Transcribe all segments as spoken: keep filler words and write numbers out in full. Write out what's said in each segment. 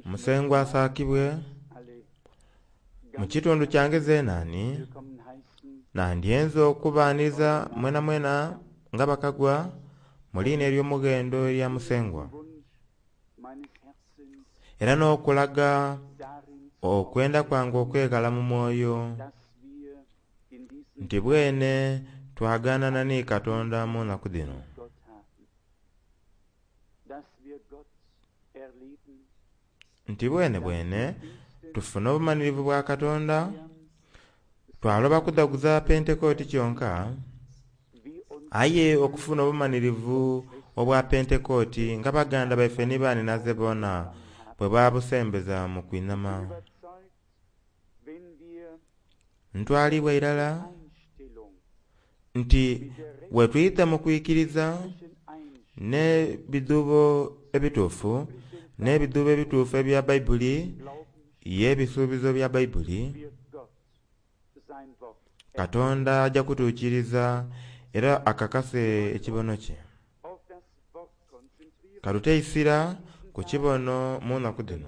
Musengwa asaakibwe mu kitundu kyange zenani nandyenze okubaniriza mwenamwena nga bakagwa mu liina ery'omughendo erya Musengwa era n'okulaga okwenda kwange okweghala mu mwoyo nti bwene twaganana ni Katonda mu nnaku dhino. Nti bwene bwene tufune obumanhirivu bwa Katonda twaloba kudhaguza Pentekoti kyonka aye okufuna obumanhirivu obwa Pentekoti nga baganda baife ni banhinaze boona bwe babusembeza mu kwinhama. Ntwalibwa irala nti bwe twidha mu kwikiriza n'ebidhuubo ebituufu n'ebidhuubo ebituufu ebya Baibuli y'ebisuubizo bya Baibuli, Katonda aja kutuukiriza era akakase ekibono kye. Katute eisira ku kibono mu nnaku dhino.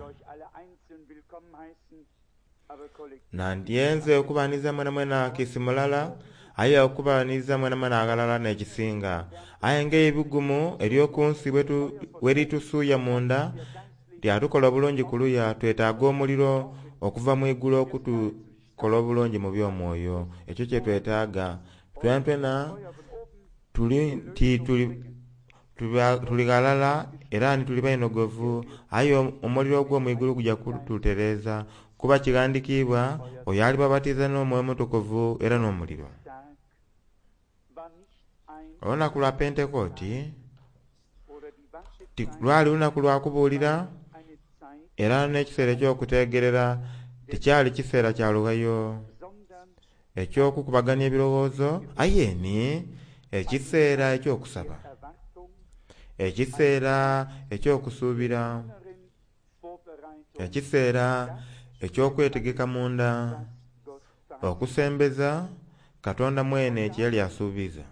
Nandyenze okubaniriza mwenamwena kiisi mulala aye okubaniriza mwenamwena aghalala n'ekisinga aye nga eibigumu ery'okunsi bweritusuuya munda lyatukola obulungi kuluya twetaaga omuliro okuva mu igulu okutukola obulungi mu by'omwoyo. Ekyo kyetwetaaga twenatwena tuli nti tuli tuli ghalala era ni tuli bainhogovu aye omuliro ogw'omwigulu guja kututereeza kuba kighandikiibwa oyo alibabatiza n'Omwoyo Omutukuvu era n'omuliro. Olunaku lwa Pentekoti lwali lunaku lwa kubuulira era n'ekiseera eky'okutegerera tikyali kiseera kya lughayo eky'okukubagania ebirowoozo aye ni ekiseera eky'okusaba, ekiseera eky'okusuubira, ekiseera eky'okwetegeka munda okusembeza Katonda mwene kye yali asuubiza.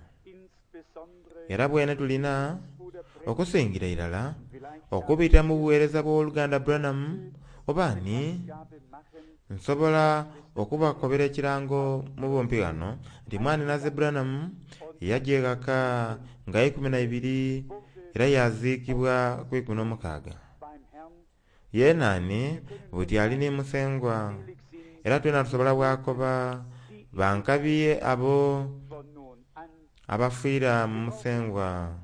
Era bwene tulina okusingira irala okubita mu buweereza bw'owoluganda Branham oba ni nsobola okubakobera ekirango mu bumpi ghano nti mwanhinaze Branham yaja eghaka nga ikumi na ibiri era yaziikibwa ku ikumi n'omukaaga. Yenani buti ali ni Musengwa era twena tusobola bwakoba bankabi abo abafiira mu Musengwa.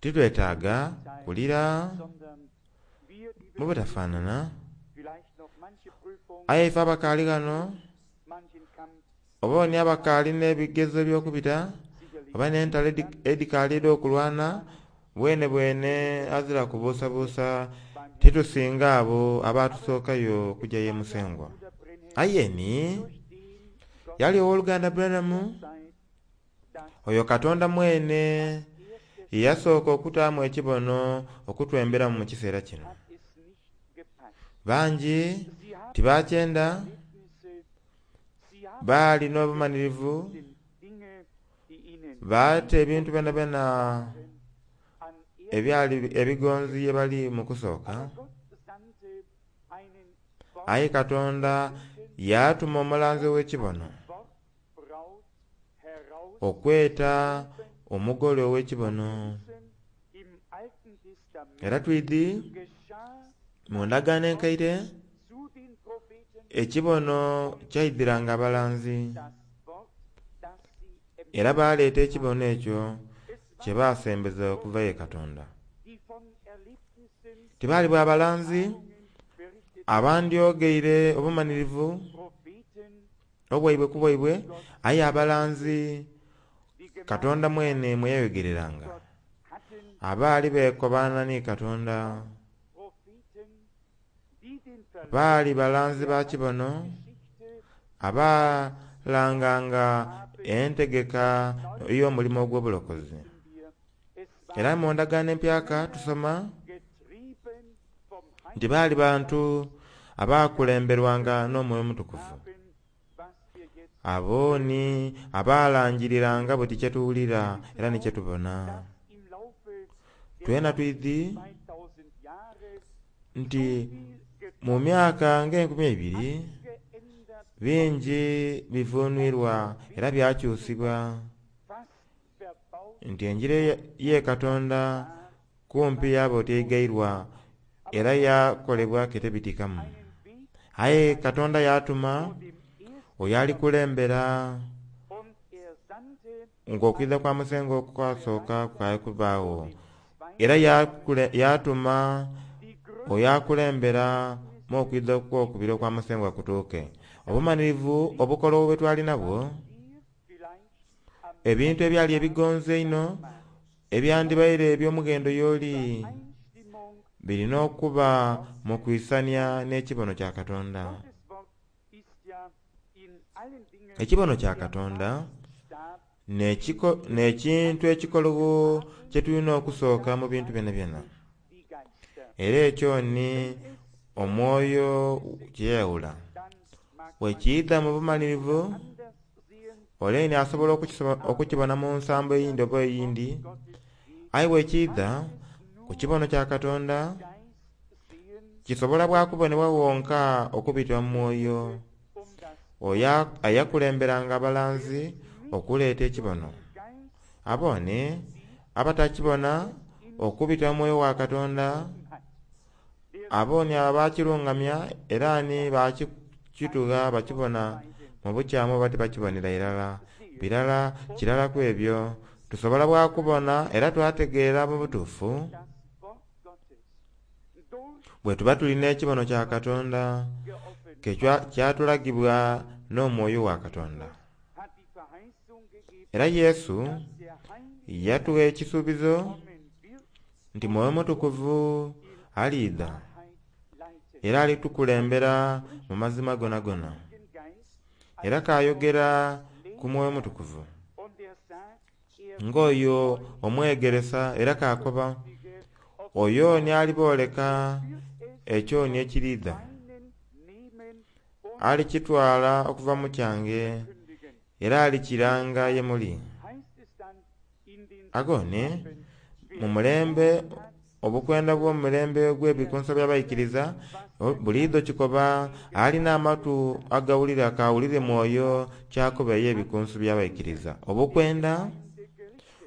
Titwetaaga kulira mu butafanana aye ife abakaali ghano oba ni abakaali n'ebigezo eby'okubita oba n'entalo edhikaali edh'okulwana bwene bwene azira kubuusabuusa titusinga abo abatusookayo okujja ye Musengwa. Aye ni yali owoluganda Branham oyo Katonda mwene yeyasooka okutaamu ekibono okutwemberamu mu kiseera kino. Bangi tibakyenda baali n'obumanhirivu baata ebintu byonabyona ebyali ebigonzi ye bali mu kusooka aye Katonda yatuma omulanzi ow'ekibono okweta omugole ow'ekibono. Era twidhi mu ndagaano enkaire ekibono kyaidhiranga abalanzi era baleeta ekibono ekyo kye basembeza okuva ye Katonda. Tibaali bwa balanzi abandyogeire obumanhirivu obwaibwe ku bwaibwe aye abalanzi Katonda mwene mwe yayogereranga abaali beekobaana ni Katonda baali balanzi ba kibono abalanganga entegeka ey'omulimo ogw'obulokozi. Era mu ndagaano empyaka tusoma nti baali bantu abakulemberwanga n'Omwoyo Omutukuvu. Abo ni abalangiriranga buti kyetuwulira era ni kyetubona. Twena twidhi nti mu myaka ng'enkumi eibiri bingi bivunwirwa era byakyusibwa, nti enjiri ye Katonda kumpi yaba oti eigairwa era yakolebwa ketebitikamu. Aye Katonda yatuma oyo alikulembera ng'okwidha kwa Musengwa okwasooka kukaali kubaagho, era yatuma oyo akulembera mu okwidha okwokubiri okwa Musengwa kutuuke. Obumalirivu obukologho bwe twali nabwo, ebintu ebyali ebigonzi einho ebyandibaire eby'omughendo y'oli, birina okuba mu kwisania n'ekibono kya Katonda. Ekibono kya Katonda n'ekintu ekikologho kye tulina okusooka mu bintu byonabyona. Era ekyo ni omwoyo kyeyayawula. Bwekiidha mu bumalirivu, ole ni asobola okukibona mu nsambo eyindi oba eyindi, aye bwekiidha ku kibono kya Katonda kisobola bwakubonebwa wonka okubita mu mwoyo oyo eyakulemberanga abalanzi okuleeta ekibono. Abone abatakibona okubita mu mwoyo wa Katonda, abone abakirungamya era ni bakitugha bakibona mu bukyamu oba tibakibonera irala. Birala kirala ku ebyo tusobola bwakubona era twategeera mu butuufu bwe tuba tulina ekibono kya Katonda ke kyatulagibwa n'omwoyo wa Katonda. Era Yesu yatugha ekisuubizo nti Mwoyo Mutukuvu aliidha era alitukulembera mu mazima gonagona. Era kayogera ku Mwoyo Mutukuvu ng'oyo omwegeresa, era kakoba oyo ni alibooleka ekyo ni ekiriidha, alikitwala okuva mu kyange era alikiranga ye muli. Agone mu mulembe obukwenda bw'omulembe ogw'ebikunso by'abaikiriza buliidho kikoba alina amatu agawulira kawulire mwoyo kyakoba ey'ebikunso by'abaikiriza. Obukwenda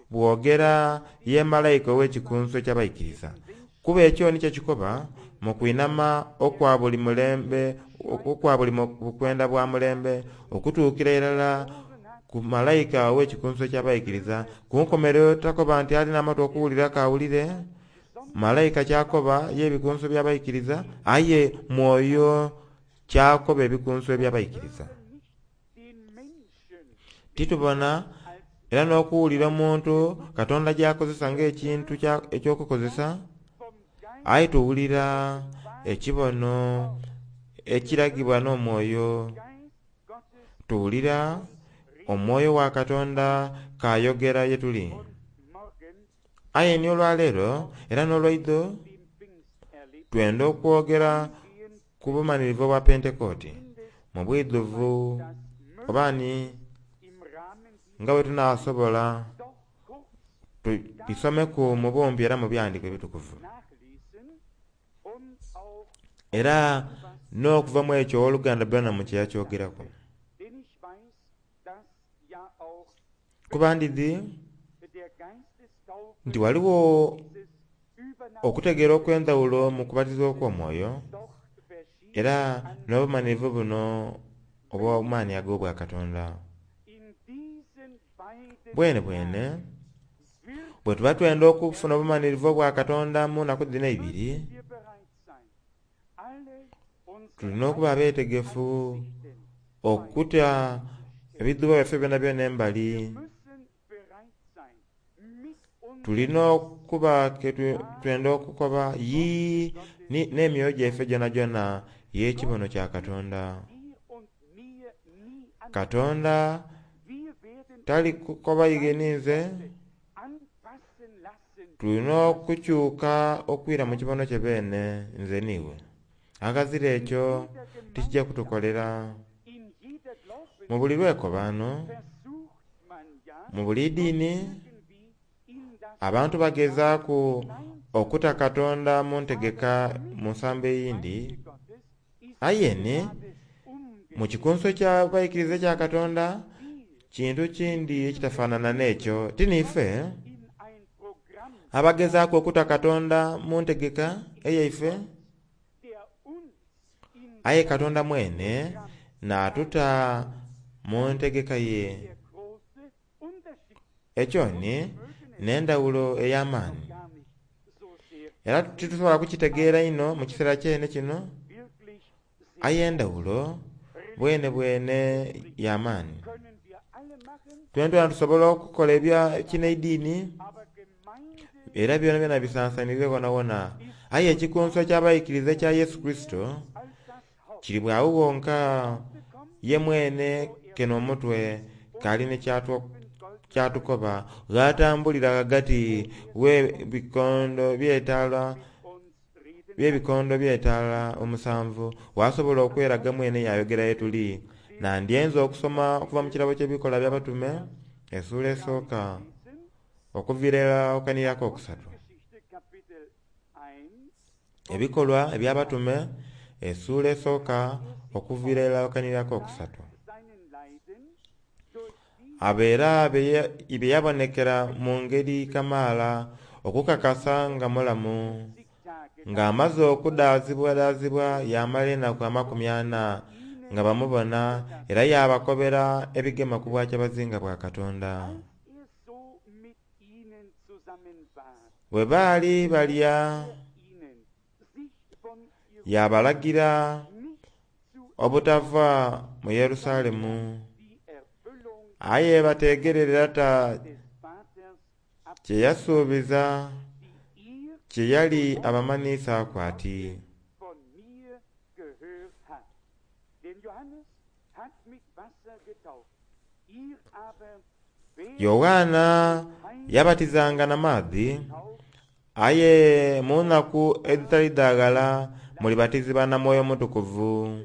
bwogera ye malayika ow'ekikunso eky'abaikiriza, kuba ekyo nikyo kikoba mu kwinama okwa buli mulembe, okwa buli bukwenda bwa mulembe okutuukira irala ku malayika ow'ekikunso eky'abaikiriza. Ku nkomerero takoba nti alina amatu okuwulira kawulire malayika kyakoba y'ebikunso by'abaikiriza, aye mwoyo kyakoba ebikunso eby'abaikiriza. Titubona era n'okuwulira omuntu Katonda gy'akozesa ng'ekintu eky'okukozesa, aye tuwulira ekibono ekiragibwa n'omwoyo. Tuwulira omwoyo wa Katonda kayogera ye tuli. Aye ni olwaleero era n'olwaidho twenda okwogera ku bumalirivu obwa Pentekooti mu bwidhuvu, oba ni nga bwe tunaasobola tubisomeku mu bumpi era mu byandiko ebitukuvu. Era n'okuva mu ekyo ow'oluganda Branham kye yakyogeraku. Kuba ndidhi nti ghaligho okutegeera okw'endhawulo mu kubatizibwa okw'omwoyo era n'obumalirivu buno obw'amaani ag'obwakatonda. Bwene bwene bwe tuba twenda okufuna obumalirivu obwa Katonda mu naku dhino eibiri, tulina okuba abeetegefu okuta ebidhuubo byaife byonabyona embali. Tulina okuba ke twenda okukoba yii n'emyoyo gyaife gyonagyona y'ekibono kya Katonda. Katonda tali kukoba ighe ninze, tulina okukyuka okwira mu kibono kye beene nze n'iwe. Aghazira ekyo tikijja kutukolera. Mu buli lwekobaano, mu buli ddiini, Abantu bagezaaku okuta Katonda mu ntegeka mu nsambo eyindi, aye ni mu kikunsu eky'abaikiriza ekya Katonda kintu kindi ekitafaanana n'ekyo. Ti niife abagezaaku okuta Katonda mu ntegeka eyaife, aye Katonda mwene n'atuta mu ntegeka ye. Ekyo ni n'endhawulo ey'amaani, era titusobola kukitegeera inho mu kiseera kyene kino, aye endhawulo bwene bwene y'amaani. Twena tusobola okukola ebya kinaidiini era byonabyona bisansanire ghonhaghonha, aye ekikunsu eky'abaikiriza ekya Yesu Kurisito kiri bwagho ghonka. Ye mwene kene omutwe k'ali ni kyatukoba ghatambulira ghagati w'ebikondo by'etaala by'ebikondo by'etaala omusanvu, wasobola okweraga mwene yayogera ye tuli. Nandyenze okusoma okuva mu kirabo ky'Ebikolwa by'Abatume essuula esooka okuviira irala okanhirira akokusatu. Ebikolwa eby'Abatume essuula esooka okuviira irala okanhirira akokusatu. Abo era bye yabonekera mu ngeri kamaala okukakasa nga mulamu, ng'amaze okudaazibwadaazibwa yamala enaku amakumi ana nga bamubona, era yaabakobera ebigema ku bwakyabazinga bwa Katonda. Bwe baali balya yabalagira obutava mu Yerusalemu, aye bateegerere Lata kye yasuubiza kye yali abamanhiisaaku ati, Yoanna yabatizanga na maadhi, aye mu nnaku edhitali dha ghala mulibatizibwa na Mwoyo Mutukuvu.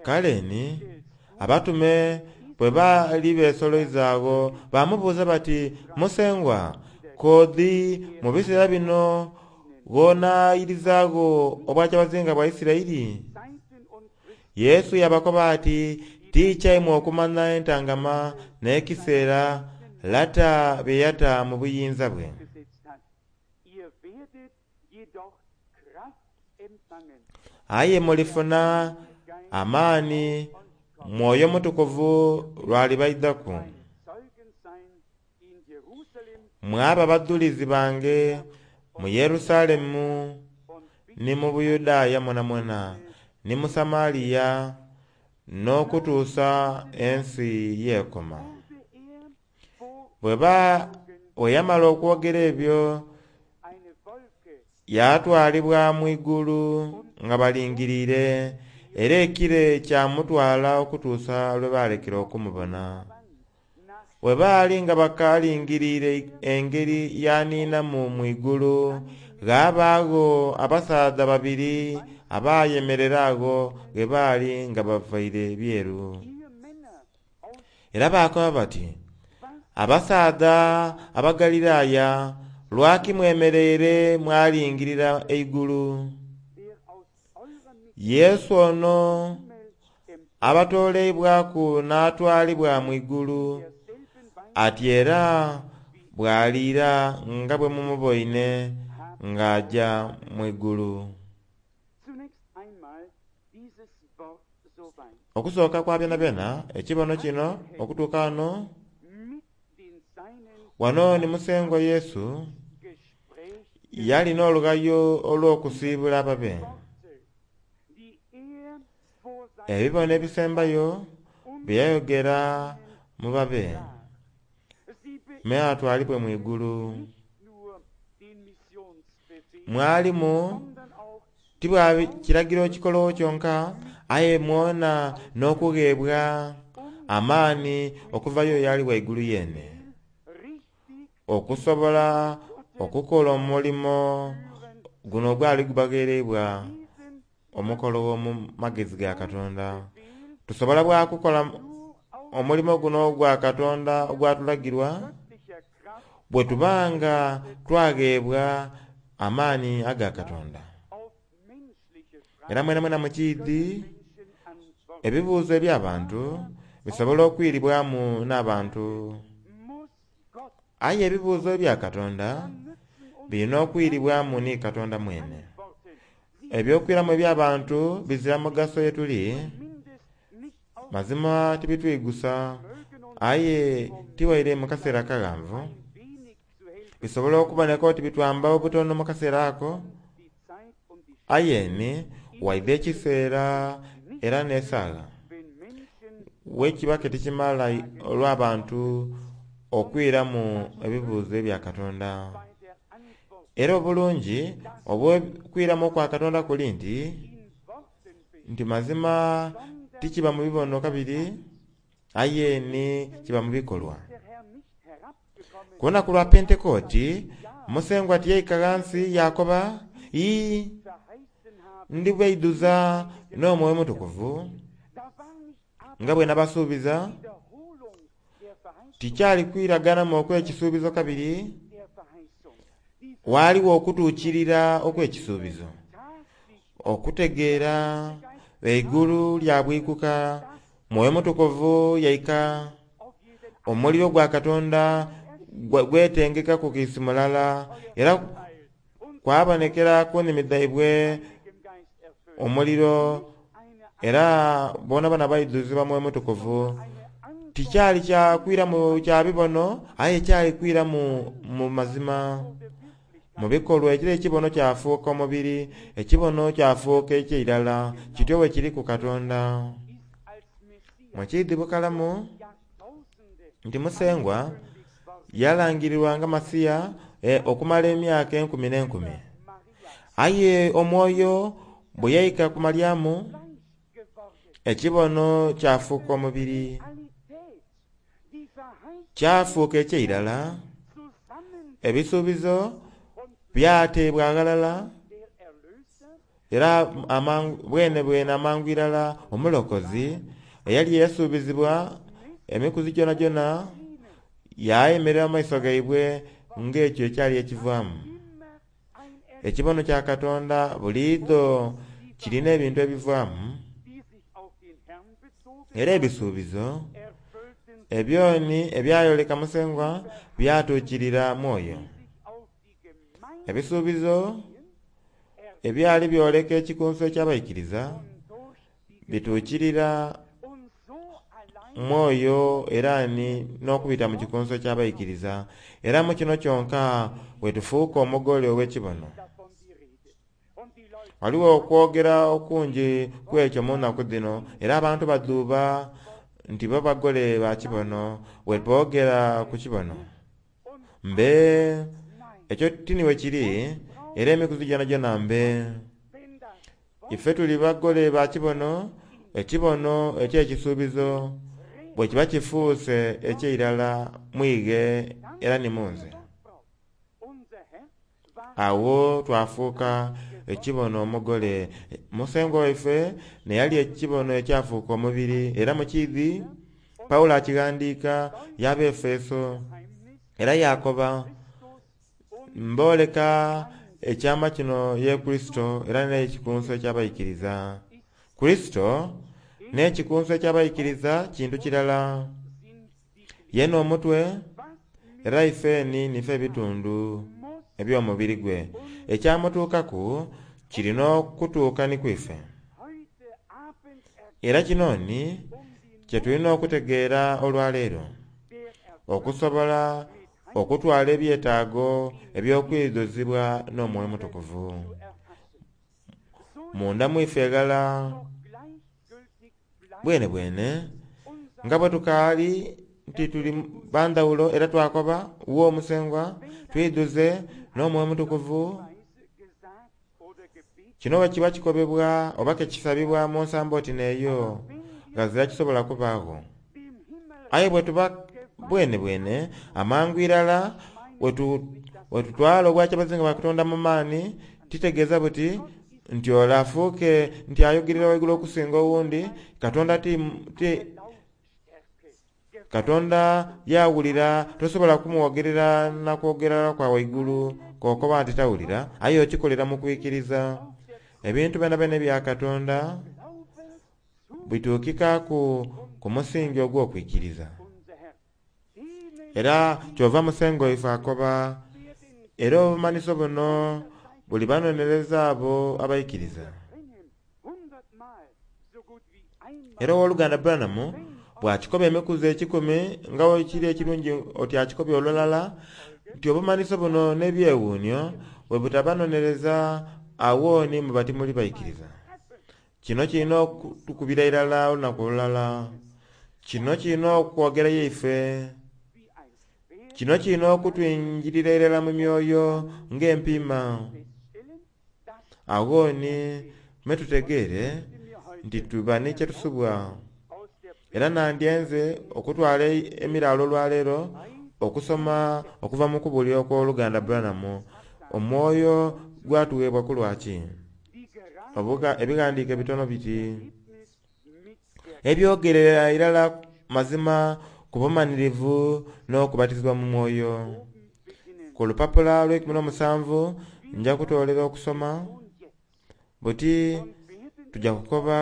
Kale ni abatume bwe baali beesoloiza agho baamubuuza bati, Musengwa, koodhi mu biseera bino gh'onaayirizaagho obwakyabazinga bwa Isiraeli? Yesu yabakoba ati, Ti kyaimwe okumanya entangama n'ekiseera Lata bye yata mu buyinza bwe. Aye mulifuna amaani Mwoyo Mutukuvu lw'alibaidhaku, mwaba badhulizi bange mu Yerusalemu ni mu Buyudaaya mwonamwona ni mu Samaria n'okutuusa ensi y'ekoma. Bwe yamala okwogera ebyo yatwalibwa mu igulu nga balingiriire, era ekire kyamutwala okutuusa lwe baalekera okumubona. Bwe baali nga bakaalingiriire engeri y'aniinamu mu igulu, ghabaagho abasaadha babiri abayemerera agho ghe baali nga bavaire byeru. Era baakoba bati, Abasaadha Abagaliraaya, lwaki mwemereire mwalingirira eigulu? Yesu ono abatooleibwaku n'atwalibwa mu igulu, ati era bw'aliira nga bwe mumuboine ng'aja mu igulu. Okusooka kwa byonabyona, ekibono kino okutuuka ghano, wano ni Musengwa Yesu yali n'olughayo olw'okusiibula ababe. Ebibono ebisembayo bye yayogera mu babe, me atwalibwe mu igulu. Mwalimu ti bwa kiragiro kikologho kyonka, aye mwona n'okugheebwa amaani okuvayo y'ali ghaigulu yeene, okusobola okukola omulimo guno ogwali gubagheereibwa omukologho mu magezi ga Katonda. Tusobola bwakukola omulimo guno ogwa Katonda ogwatulagirwa bwe tubanga twagheebwa amaani aga Katonda. Era mwena mwena mukiidhi ebibuuzo eby'abantu bisobola okwiribwamu n'abantu, aye ebibuuzo ebya Katonda birina okwiribwamu ni Katonda mwene. Ebyokwiramu eby'abantu bizira mugaso ye tuli, mazima tibitwigusa, aye tiwaire mu kaseera akaghanvu. Bisobola okuboneka oti bitwamba obutono mu kaseera ako, aye ni waidha ekiseera era n'esaagha wekiba ke tikimala olw'abantu okwiramu ebibuuzo ebya Katonda. Era obulungi obw'okwiramu okwa Katonda kuli nti nti mazima tikiba mu bibono kabiri, aye ni kiba mu bikolwa. Ku lunaku lwa Pentekooti Musengwa tiyaika ghansi yakoba, ii ndibaidhuza n'Omwoyo Mutukuvu nga bwe nabasuubiza. Tikyali kwiraganamu okw'ekisuubizo kabiri, waaliwo okutuukirira okw'ekisuubizo, okutegeera eigulu lyabwikuka, Mwoyo Mutukuvu yaika, omuliro gwa Katonda gwetengeka ku kiisi mulala, era kwabonekera ku nnimi dhaibwe omuliro, era bonabona baidhuzibwa Mwoyo Mutukuvu. Tikyali kya kwiramu kya bibono, aye kyali kwiramu mu mazima, mu bikolwa. Ekiro ekibono kyafuuka omubiri, ekibono kyafuuka eky'eirala, kityo bwe kiri ku Katonda. Mukiidhi bukalamu nti Musengwa yalangirirwa nga Masiya e, okumala emyaka enkumi n'enkumi, aye Omwoyo bwe yaika ku Malyamu ekibono kyafuuka omubiri, kyafuuka eky'eirala. Ebisuubizo byateebwa aghalala, era amangu, bwene bwene amangu irala omulokozi eyali yasuubizibwa emikuzi gyonagyona yayemerera mu maiso gaibwe ng'ekyo ekyali ekivaamu. Ekibono kya Katonda buliidho kirina ebintu ebivaamu, era ebisuubizo ebyoni ebyayoleka Musengwa byatuukirira mwoyo. Ebisuubizo ebyali byoleka ekikunsu eky'abaikiriza bituukirira mwoyo era ni n'okubita mu kikunsu eky'abaikiriza. Era mu kino kyonka wetufuuka omugole ow'ekibono. Waliwo okwogera okungi ku ekyo mu nnaku dhino, era abantu badhuuba nti bo bagole ba kibono weboogera ku kibono. Mbe ekyo tiniwe kiri, era emikuzi gyonagyona mbe. Ife tuli bagole ba kibono, ekibono eky'ekisuubizo bwe kiba kifuuse eky'eirala mwighe era ni munze. Awo twafuuka ekibono omugole. Musengwa waife neyali ekibono ekyafuuka omubiri, era mukiidhi Pawulo akighandiika y'Abaefeso, era yakoba mbooleka ekyama kino ye Kurisito era n'ekikunsu eky'abaikiriza. Kurisito n'ekikunsu eky'abaikiriza kintu kirala, ye n'omutwe, era ifeni nife ebitundu eby'omubiri gwe. Ekyamutuukaku kirina okutuuka ni kwife. Era kino ni kye tulina okutegeera olwaleero, okusobola okutwala ebyetaago eby'okwidhuzibwa n'Omwoyo Mutukuvu munda mwife eghala bwene bwene nga bwe tukaali nti tuli bandhawulo, era twakoba wo Musengwa twidhuze n'Omwoyo Mutukuvu. Kino bwe kiba kikobebwa oba ke kisabibwa mu nsambo oti n'eyo, ghazira kisobola kubaagho. Aye bwe tuba bwene bwene amangu irala wetutwala obwakyabazinga bwa Katonda mu maani, titegeeza buti Nti ole afuuke nti ayogerera waigulu okusinga owundi. Katonda ti, ti Katonda yawulira, tosobola kumwogerera nakwogerera kwa waigulu kokoba nti tawulira, aye okikolera mu kwikiriza. Ebintu byona byona ebya Katonda bituukikaku ku musingi ogw'okwikiriza. Era kyova Musengwa waife akoba, era obumanhiso buno buli banonereza abo abaikiriza. Era ow'oluganda Branham bw'akikoba emikuzi ekikumi nga wekiri ekirungi oti akikobye olulala nti obumanhiso buno n'ebyewuunyo bwe butabanonereza awo ni muba timuli baikiriza. Kino kirina okutukubira irala olunaku olulala. Kino kirina okwogera yaife. Kino kirina okutwingirira irala mu myoyo ng'empiima. Awo ni me tutegeere nti tuba ni kyetusubwa. Era nandyenze okutwala emiraalo olwaleero okusoma okuva mu kubuulira okw'oluganda Branham. Omwoyo gwatuweebwa ku lwaki? Obuga ebighandiiko ebitono biti ebyogerera irala mazima ku bumanhirivu n'okubatizibwa mu mwoyo. Ku lupapula lw'eikumi n'omusanvu nja kutoolera okusoma buti tujja kukoba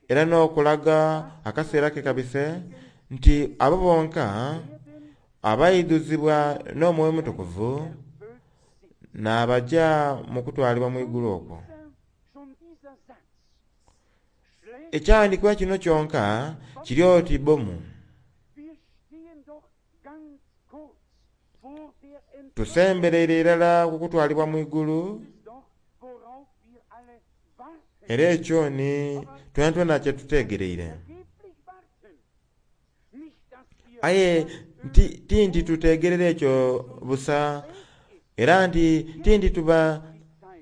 era n'okulaga akaseera ke kabise nti abo bonka abaidhuzibwa n'Omwoyo Mutukuvu n'abaja mu kutwalibwa mu igulu okwo. Ekyawandiikibwa kino kyonka kiri oti bomu. Tusembereire irala ku kutwalibwa mu igulu, era ekyo ni twena kye tutegereire. Aye ti nti tutegerera ekyo busa, era nti ti nti tuba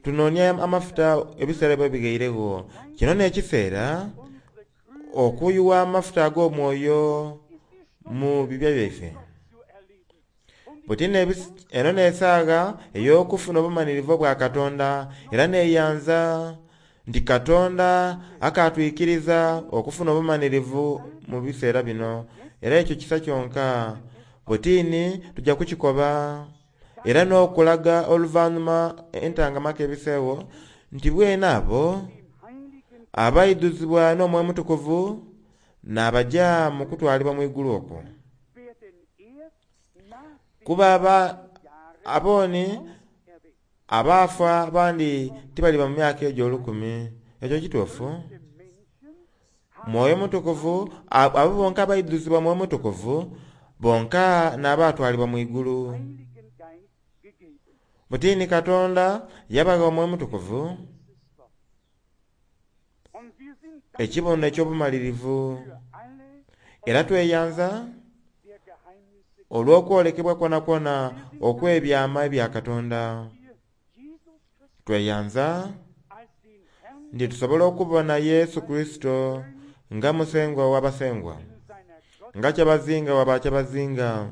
tunoonia amafuta ebiseera bwe bigairegho. Kino n'ekiseera okuyuwa amafuta ag'omwoyo mu bibya byaife. Buti eno n'esaaga ey'okufuna obumanhirivu obwa Katonda, era neeyanza nti Katonda akatwikiriza okufuna obumanhirivu mu biseera bino. Era ekyo kisa kyonka. Butini tujja kukikoba era n'okulaga oluvannyuma entangamako ebiseewo nti bwene abo abaidhuzibwa n'Omwoyo Mutukuvu n'abaja mu kutwalibwa mu igulu okwo. Kuba aba abooni abaafa abandi tibaliba mu myaka egyo olukumi. Ekyo kituufu. Mwoyo Mutukuvu, abo bonka abaidhuzibwa Mwoyo Mutukuvu bonka n'abatwalibwa mu igulu. Butini Katonda yabagha Omwoyo Mutukuvu ekibono eky'obumalirivu. Era tweyanza olw'okwolekebwa kwona okw'ebyama ebya Katonda. Tweyanza nti tusobola okubona Yesu Kurisito nga Musengwa w'abasengwa, nga kyabazinga w'abakyabazinga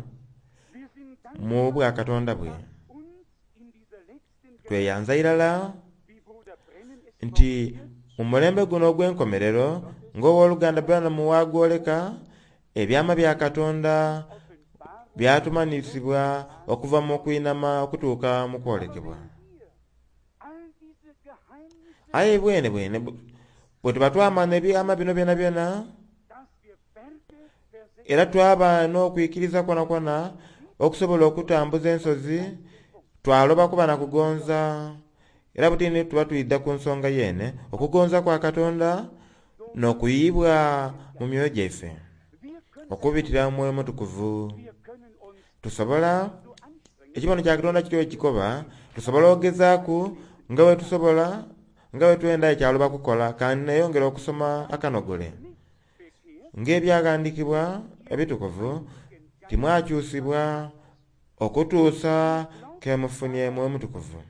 mu bwa Katonda bwe. Tweyanza irala nti mu mulembe guno ogw'enkomerero ng'owoluganda Branham wagwoleka, ebyama bya Katonda byatumanhisibwa okuva mu kwinama okutuuka mu kwolekebwa. Aye bwene bwene bwe tuba twamanya ebyama bino byona byona, era twaba n'okwikiriza kwona kwona okusobola okutambuza ensozi, twaloba kuba na kugonza. Era butini tuba twidha ku nsonga yene, okugonza kwa Katonda n'okuyibwa mu myoyo gyaife okubitira mu Mwoyo Mutukuvu. Tusobola, ekibono kya Katonda kityo ekikoba, tusobola ogezaaku nga bwe tusobola nga bwe twenda ekyaloba kukola, kandi neeyongera okusoma akanogole. Ng'ebyaghandiikibwa ebitukuvu timwakyusibwa okutuusa ke mufunye Mwoyo Mutukuvu.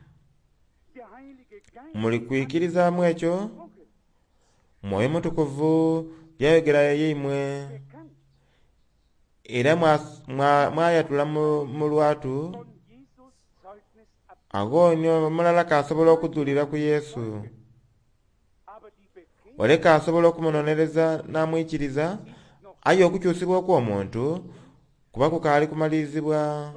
Muli kwikirizaamu ekyo? Mwoyo Mutukuvu yayogera yeimwe era mwayatula mu lwatu Agho omulala kasobola okudhulira ku Yesu, ole kasobola okumunonereza n'amwikiriza, aye okukyusibwa okw'omuntu kuba kukaali kumalirizibwa.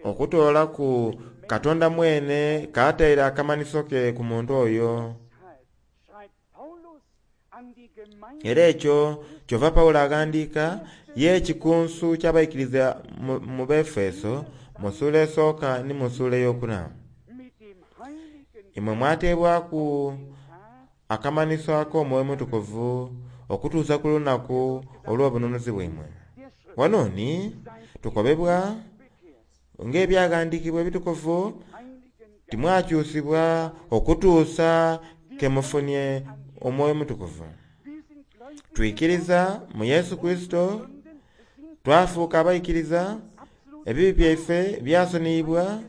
Okutoolaku Katonda mwene kataire akamanhiso ke ku muntu oyo. Era ekyo kyova Pawulo aghandiika ye ekikunsu ky'abaikiriza mu Befeso mu sula esooka ni mu sula eyokuna. Imwe mwateebwaku akamanhiso ak'Omwoyo Omutukuvu okutuusa ku lunaku olw'obununuzi bwaimwe. Wano ni tukobebwa ng'ebyaghandiikibwa ebitukuvu timwakyusibwa okutuusa ke mufunye Omwoyo Omutukuvu. Twikiriza mu Yesu Kurisito, twafuuka abaikiriza, ebibi byaife byasoniyibwa.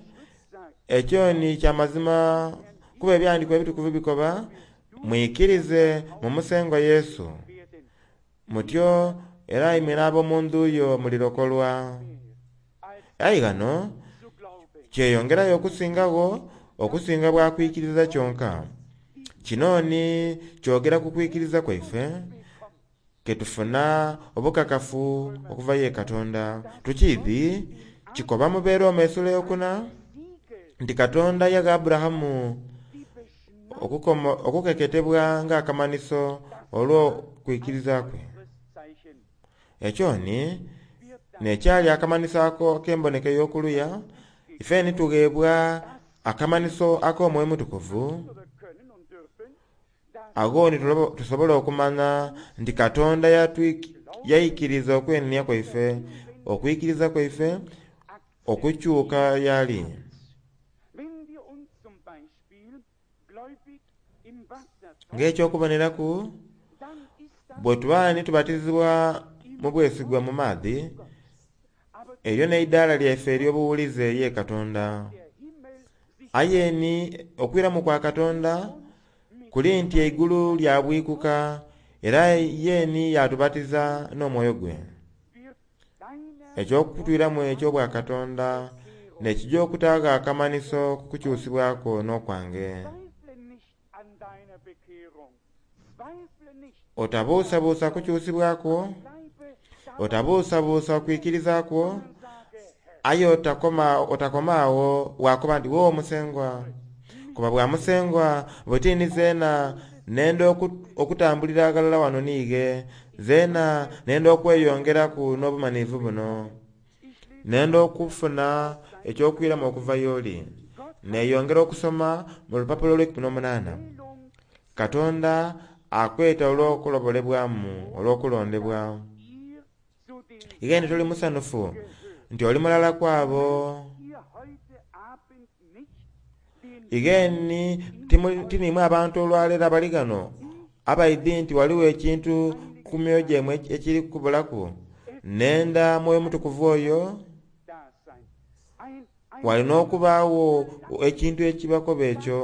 Ekyo ni kya mazima kuba ebyawandiikibwa ebitukuvu bikoba, mwikirize mu Musengwa Yesu, mutyo era imwe n'ab'omu ndhu yo mulirokolwa. Aye ghano kyeyongerayo okusingagho okusinga bwa kwikiriza kyonka. Kino ni kyogera ku kwikiriza kwaife ketufuna obukakafu okuva ye Katonda. Tukiidhi kikoba mu Beroma esula eyokuna nti Katonda yagha Aburahamu okukeketebwa ng'akamanhiso olw'okwikiriza kwe. Ekyo ni n'ekyali akamanhiso ako ak'emboneka ey'okuluya, ife ni tugheebwa akamanhiso ak'Omwoyo Omutukuvu. Agho ni tusobola okumanya nti Katonda yaikiriza okwenenia kwaife, okwikiriza kwaife okukyuka y'ali. Ng'ekyokuboneraku, bwe tuba ni tubatizibwa mu bwesigwa mu maadhi, eryo n'eidaala lyaife ery'obuwulize ye Katonda. Aye ni okwiramu kwa Katonda kuli nti eigulu lyabwikuka era ye ni yatubatiza n'omwoyo gwe. Eky'okutwiramu eky'obwakatonda n'ekijja okutaagho akamanhiso ku kukyusibwako n'okwange. Otabuusabuusa kukyusibwakwo, otabuusabuusa kwikiriza kwo, aye otakoma otakoma agho wakoba nti wo Musengwa, kuba bwa Musengwa bwetini zeena nenda okutambulira aghalala wano niighe, zeena nenda okweyongeraku n'obumanivu buno, nenda okufuna ekyokwiramu okuva y'oli. Neeyongera okusoma mu lupapula olw'eikumi n'omunaana. Katonda akweta olw'okulobolebwamu, olw'okulondebwa. Ighe toli musanhufu nti oli mulala ku abo. Ighe ni tiniimwe abantu olwaleero abali ghano abaidhi nti ghaligho ekintu ku myoyo gyaimwe ekiri kubulaku. Nenda Mwoyo Mutukuvu oyo, walina okubaagho ekintu ekibakoba ekyo.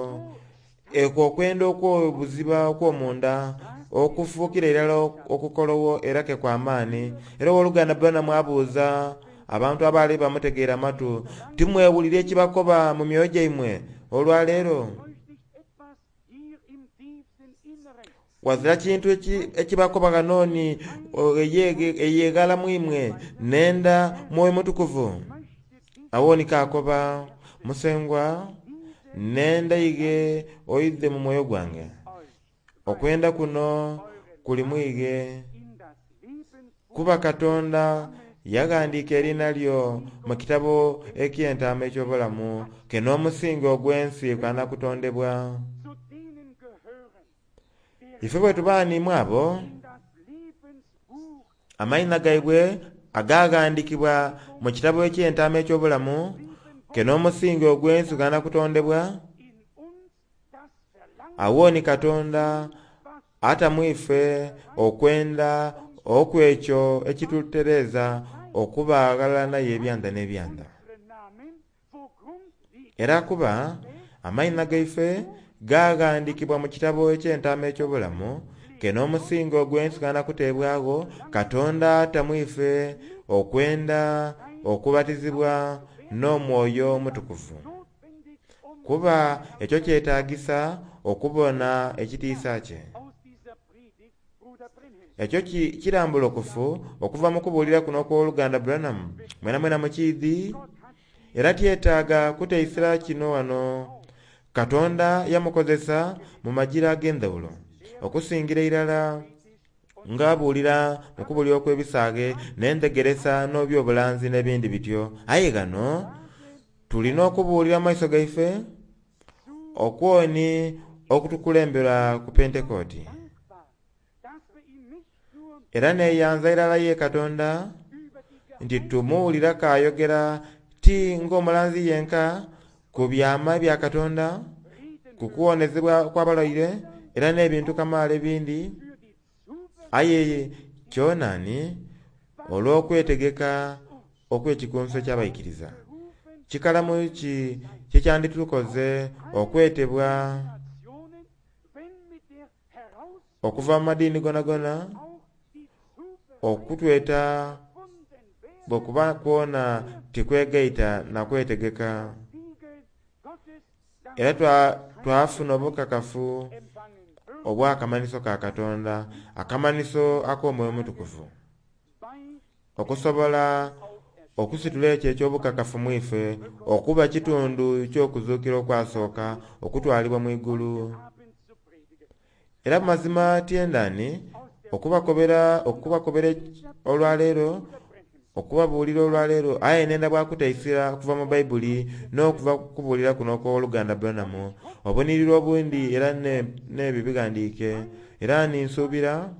Ekwo okwenda okw'obuziba okw'omunda okufuukira irala okukolowo era ke kw'amaani. Era owooluganda Branham abuuza abantu abaali bamutegeera amatu, timwewulira ekibakoba mu myoyo gyaimwe olwaleero? Wazira kintu ekibakoba ghano ni eyeghala mu imwe nenda Mwoyo Mutukuvu. Awo ni kakoba, Musengwa, nenda ighe oidhe mu mwoyo gwange. Okwenda kuno kuli mwighe, kuba Katonda yaghandiika eriina lyo mu kitabo eky'entaama eky'obulamu ke n'omusingi ogw'ensi gukana kutondebwa. Ife bwe tuba niimwe abo amaina gaibwe agaghandiikibwa mu kitabo eky'entaama eky'obulamu ke n'omusingi ogw'ensi gukana kutondebwa, awo ni Katonda ata mu ife okwenda okw'ekyo ekitutereeza okuba aghalala naye ebyanda n'ebyanda. Era kuba amaina gaife gaghandiikibwa mu kitabo eky'entaama eky'obulamu ke n'omusingi ogw'ensi gukana kuteebwagho, Katonda ata mu ife okwenda okubatizibwa n'Omwoyo Omutukuvu, kuba ekyo kyetaagisa okubona ekitiisa kye. Ekyo kirambulukufu okuva mu kubuulira kuno okw'oluganda Branham, mwena mwena mukiidhi, era tyetaaga kuteisira kino wano. Katonda yamukozesa mu majira ag'endhawulo okusingira irala ng'abuulira mu kubuulira okw'ebisaaghe n'endhegeresa n'ebyobulanzi n'ebindi bityo. Aye ghano tulina okubuulira mu maiso gaife okwoni okutukulembera ku Pentekooti. Era neeyanza irala ye Katonda nti tumuwulira k'ayogera ti ng'omulanzi yenka ku byama ebya Katonda, ku kuwonezebwa okw'abalwaire era n'ebintu kamaala ebindi, aye kyonani olw'okwetegeka okw'ekikunso eky'abaikiriza. Kikalamu ki kyekyanditukoze okwetebwa okuva mu madiini gonagona, okutweta bwekuba kwona tikwegaita na kwetegeka. Era twafuna obukakafu obw'akamanhiso ka Katonda, akamanhiso ak'Omwoyo Omutukuvu, okusobola okusitula ekyo eky'obukakafu mu ife okuba kitundu ky'okuzuukira okwasooka okutwalibwa mu igulu. Era mazima tyendani okubakobera okubakobera olwaleero, okubabuulira olwaleero, aye nenda bwakutaisira okuva mu Baibuli n'okuva kubuulira kuno okw'oluganda Branham, obuniriro obundi era n'ebyo bighandiike. Era ninsuubira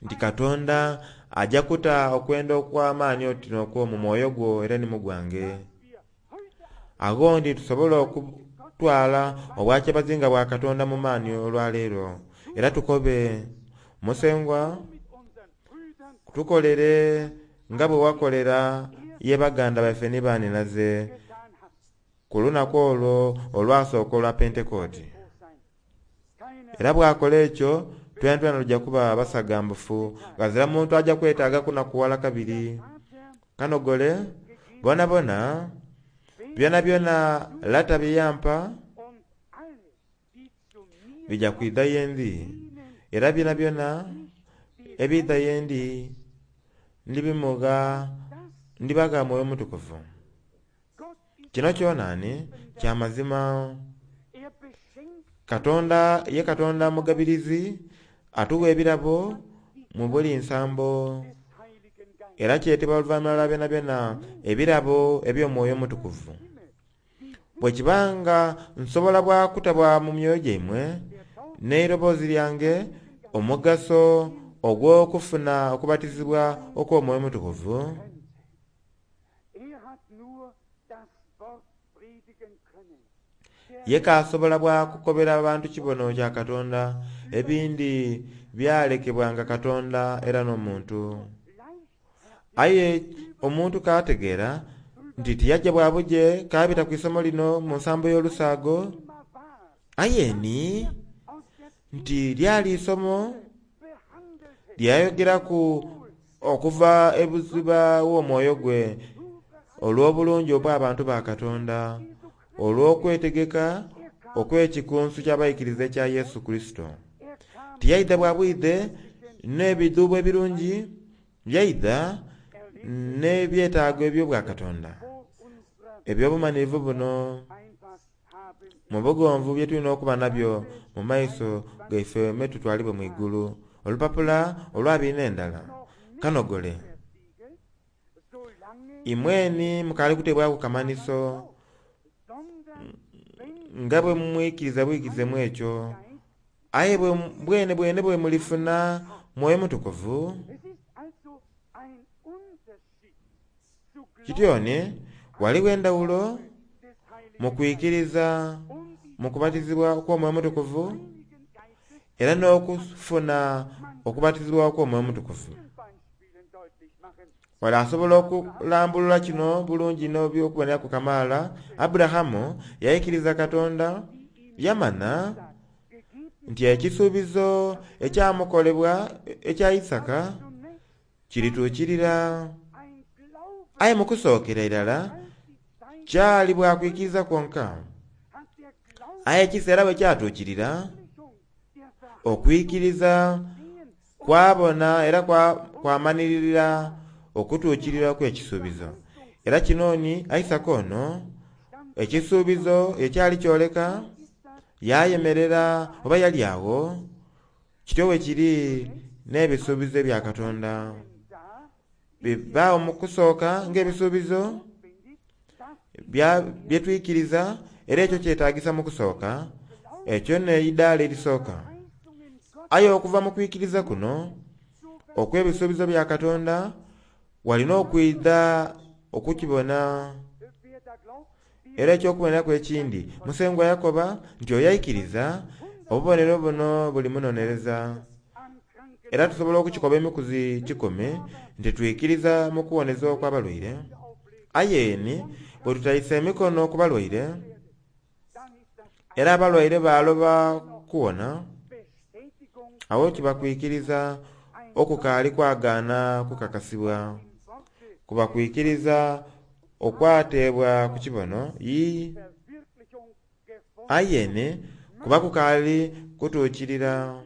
nti Katonda ajja kuta okwenda okw'amaani oti n'okwo mu mwoyo gwo era ni mu gwange. Agho ndi tusobola okutwala obwakyabazinga bwa Katonda mu maani olwaleero. Era tukobe, Musengwa, tukolere nga bwe wakolera ye baganda baife ni baninaze ku lunaku olwo olwasooka olwa Pentekooti. Era bw'akola ekyo, twena twena tujja kuba basagambufu, ghazira muntu ajja kwetaaga kunakuwala kabiri. Kanogole, bonabona, byonabyona Lata bye yampa bija kwidha ye ndi, era byonabyona ebiidha ye ndi ndibimugha, ndibagha Mwoyo Mutukuvu. Kino kyonani kya mazima. Katonda ye Katonda mugabirizi, atuwa ebirabo mu buli nsambo, era kyetebwa oluvannyuma lwa byonabyona ebirabo eby'Omwoyo Omutukuvu. Bwe kibanga nsobola bwa kutabwa mu myoyo gyaimwe n'eiroboozi lyange omugaso ogw'okufuna okubatizibwa okw'Omwoyo Omutukuvu, ye k'asobola bwa kukobera abantu kibono kya Katonda, ebindi byalekebwanga Katonda era n'omuntu. Aye omuntu k'ategeera nti tiyajja bwa buje k'abita ku isomo lino mu nsambo y'olusaago, aye ni nti lyali isomo lyayogeraku okuva ebuziba w'omwoyo gwe olw'obulungi obw'abantu ba Katonda, olw'okwetegeka okw'ekikunsu ky'abaikiriza ekya Yesu Kurisito. Tiyaidha bwa bwidhe n'ebidhuubo ebirungi, yaidha n'ebyetaago eby'obwakatonda eby'obumanhirivu buno mu bugonvu bye tulina okuba nabyo mu maiso gaife me tutwalibwe mu igulu. Olupapula olwabiri n'endala kanogole, imweni mukaali kuteebwaku kamanhiso nga bwe mwikiriza bwikirize mu ekyo, aye bwene bwene bwe mulifuna Mwoyo Mutukuvu. Kityoni ghaligho endhawulo mu kwikiriza mu kubatizibwa okw'Omwoyo Omutukuvu era n'okufuna okubatizibwa okw'Omwoyo Omutukuvu. Wale asobola okulambulula kino bulungi n'ebyokuboneraku kamaala. Aburahamu yaikiriza Katonda, yamana nti ekisuubizo ekyamukolebwa ekya Isaka kirituukirira. Aye mu kusookera irala Kyali bwakwikiriza kwonka. Aye ekiseera bwe kyatuukirira, okwikiriza kwabona era kwamanirira okutuukirira okw'ekisuubizo. Era kinoni Isaka ono ekisuubizo ekyali kyoleka yayemerera oba yali awo kityo bwe kiri n'ebisuubizo ebya Katonda. Bibaawo mu kusooka ng'ebisuubizo bye twikiriza, era ekyo kyetagisa mu kusooka, ekyo n'eidaala erisooka. Aye okuva mu kwikiriza kuno okw'ebisuubizo bya Katonda walina okwidha okukibona. Era eky'okuboneraku ekindi, Musengwa yakoba nti oyo aikiriza obubonero buno bulimunonereza. Era tusobola okukikoba emikuzi kikumi nti twikiriza mu kuwoneza okw'abalwaire. Aye ni bwe tutaisa emikono ku balwaire era abalwaire baloba kuwona, awo kiba kwikiriza okukaali kwagaana kukakasibwa. Kuba kwikiriza okwateebwa ku kibono ii, aye ni kuba kukaali kutuukirira.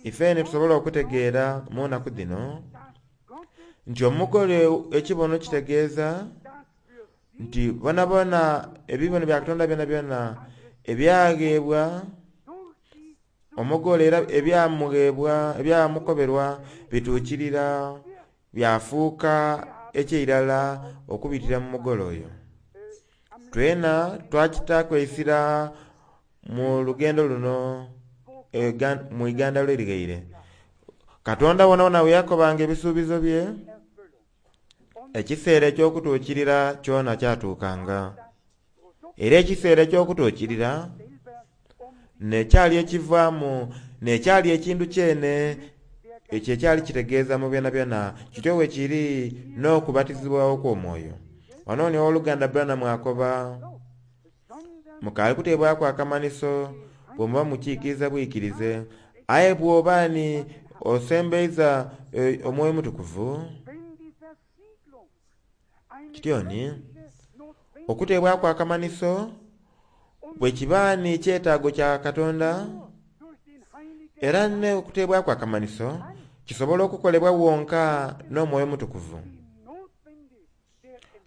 Ifeene tusobola okutegeera mu nnaku dhino nti omugole ekibono kitegeeza nti bonabona ebibono bya Katonda byonabyona ebyagheebwa omugole era ebyamughebwa ebyamukoberwa bituukirira byafuuka ekyeirala okubitira mu mugole oyo. Twena twakitaaku eisira mu lugendo luno mu igandalo erighaire. Katonda wonawona we yakobanga ebisuubizo bye, ekiseera eky'okutuukirira kyona kyatuukanga. Era ekiseera eky'okutuukirira n'ekyali ekivaamu n'ekyali ekintu kyene ekyo ekyali kitegeeza mu byonabyona kityo bwe kiri n'okubatizibwa okw'omwoyo. Wano ni owooluganda Branham akoba, mukaali kuteebwaku akamanhiso bwe muba mukiikiriza bwikirize, aye bw'oba ni osembeiza Omwoyo Omutukuvu kityo ni okuteebwaku akamanhiso bwe kiba ni kyetaago kya Katonda, era n'okuteebwaku akamanhiso kisobola okukolebwa wonka n'Omwoyo Omutukuvu.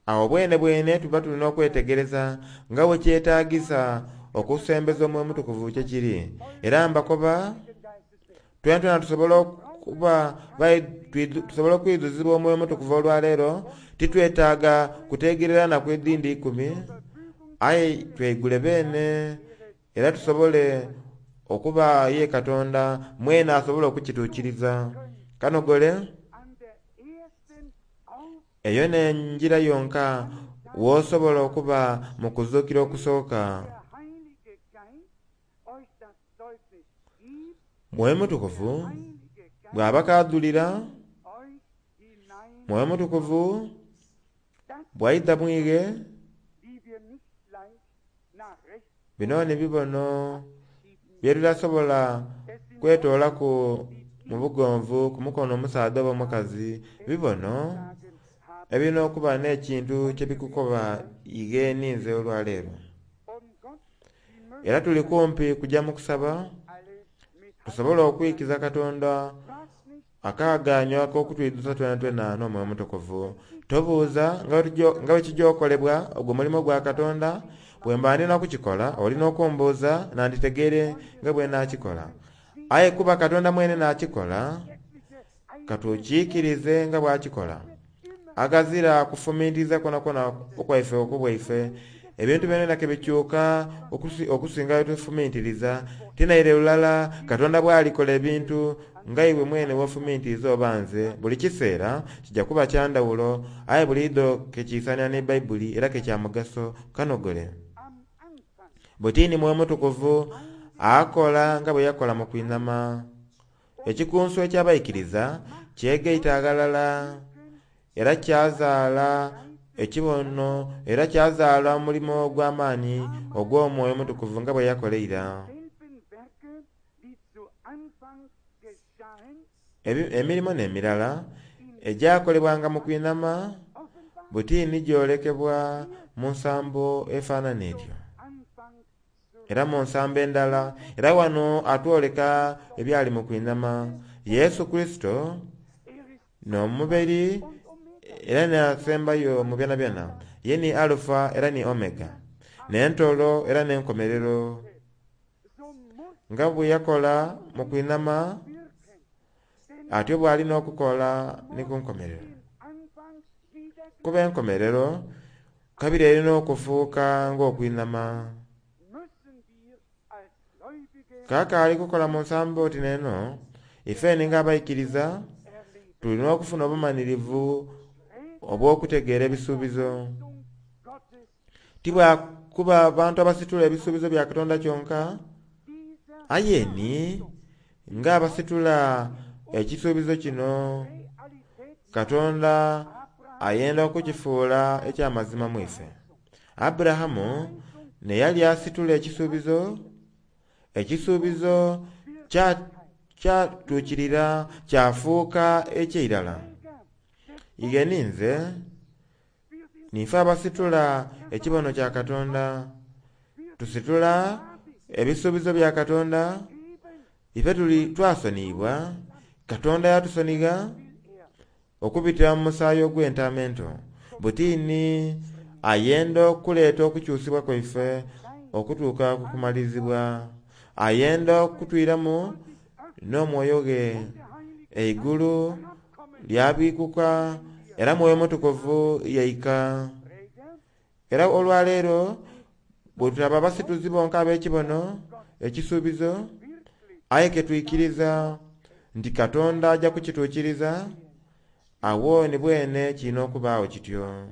Awo bwene bwene tuba tulina okwetegereza nga bwe kyetaagisa okusembeza Omwoyo Omutukuvu kye kiri. Era mbakoba twena twena tusobola okuba tusobola okwidhuzibwa Omwoyo Omutukuvu olwaleero, titwetaaga kutegerera nnaku edhindi ikumi, aye tweigule beene era tusobole okuba ye Katonda mwene asobole okukituukiriza. Kanogole eyo n'enjira yonka w'osobola okuba mu kuzuukira okusooka. Mwoyo Mutukuvu bw'aba kaadhulira, Mwoyo Mutukuvu bw'aidha mwighe, bino ni bibono bye tutasobola kwetoolaku mu bugonvu ku mukono omusaadha oba omukazi. Bibono ebirina okuba n'ekintu kye bikukoba ighe ninze olwaleero. Era tuli kumpi kujja mu kusaba tusobole okwikiza Katonda akaagaanyo ak'okutwidhuza twenatwena n'Omwoyo Omutukuvu. Tobuuza nga bwe kijja okolebwa ogwo mulimo gwa Katonda, bwe mba ndina kukikola olina okumbuuza nanditegeere nga bwe naakikola. Aye kuba Katonda mwene naakikola, katukiikirize nga bw'akikola. Aghazira kufumintiriza kwonakwo okwaife okubwaife, ebintu byonabyona ke bikyuka okusinga bwe tufumintiriza. Tinaire lulala Katonda bw'alikola ebintu nga iwe mwene w'ofumintiriza oba nze, buli kiseera kijja kuba kya ndhawulo, aye buliidho kekiisanira ni Bayibuli era ke kya mugaso. Kanogole bwe Mwoyo Mutukuvu akola nga bwe yakola mu kwinhama. Ekikunsu eky'abaikiriza kyegaita aghalala era kyazaala ekibono era kyazaala omulimo ogw'amaani ogw'Omwoyo Omutukuvu nga bwe yakola eira. Emirimo n'emirala egyakolebwanga mu kwinhama Butini gyolekebwa mu nsambo efaanana etyo era mu nsambo endala. Era wano atwoleka ebyali mu kwinhama. Yesu Kurisito n'omuberi era n'asembayo mu byonabyona. Ye ni Alufa era ni Omega, n'entolo era n'enkomerero. Nga bwe yakola mu kwinhama atyo bw'alina okukola ni ku nkomerero. Kuba enkomerero kabiri erina okufuuka ng'okwinhama. Kaakaali kukola mu nsambo oti n'eno, ifeni ng'abaikiriza tulina okufuna obumanhirivu obw'okutegeera ebisuubizo. Tibwakuba bantu abasitula ebisuubizo bya Katonda kyonka, aye ni ng'abasitula ekisuubizo kino Katonda ayenda okukifuula eky'amazima mu ife. Aburahamu neyali asitula ekisuubizo, ekisuubizo kyatuukirira kyafuuka eky'eirala. Ighe ninze nife abasitula ekibono kya Katonda, tusitula ebisuubizo bya Katonda. Ife tuli twasoniyibwa, Katonda yatusonigha okubitira mu musaayi ogw'entaama ento. Butini ayenda okuleeta okukyusibwa kwaife okutuuka ku kumalirizibwa. Ayenda okutwiramu n'omwoyo gwe. Eigulu lyabikuka era Mwoyo Mutukuvu yaika. Era olwaleero bwe tutaba abasituzi bonka ab'ekibono ekisuubizo, aye ke twikiriza nti Katonda ajja kukituukiriza, awo ni bwene kirina okubaawo kityo.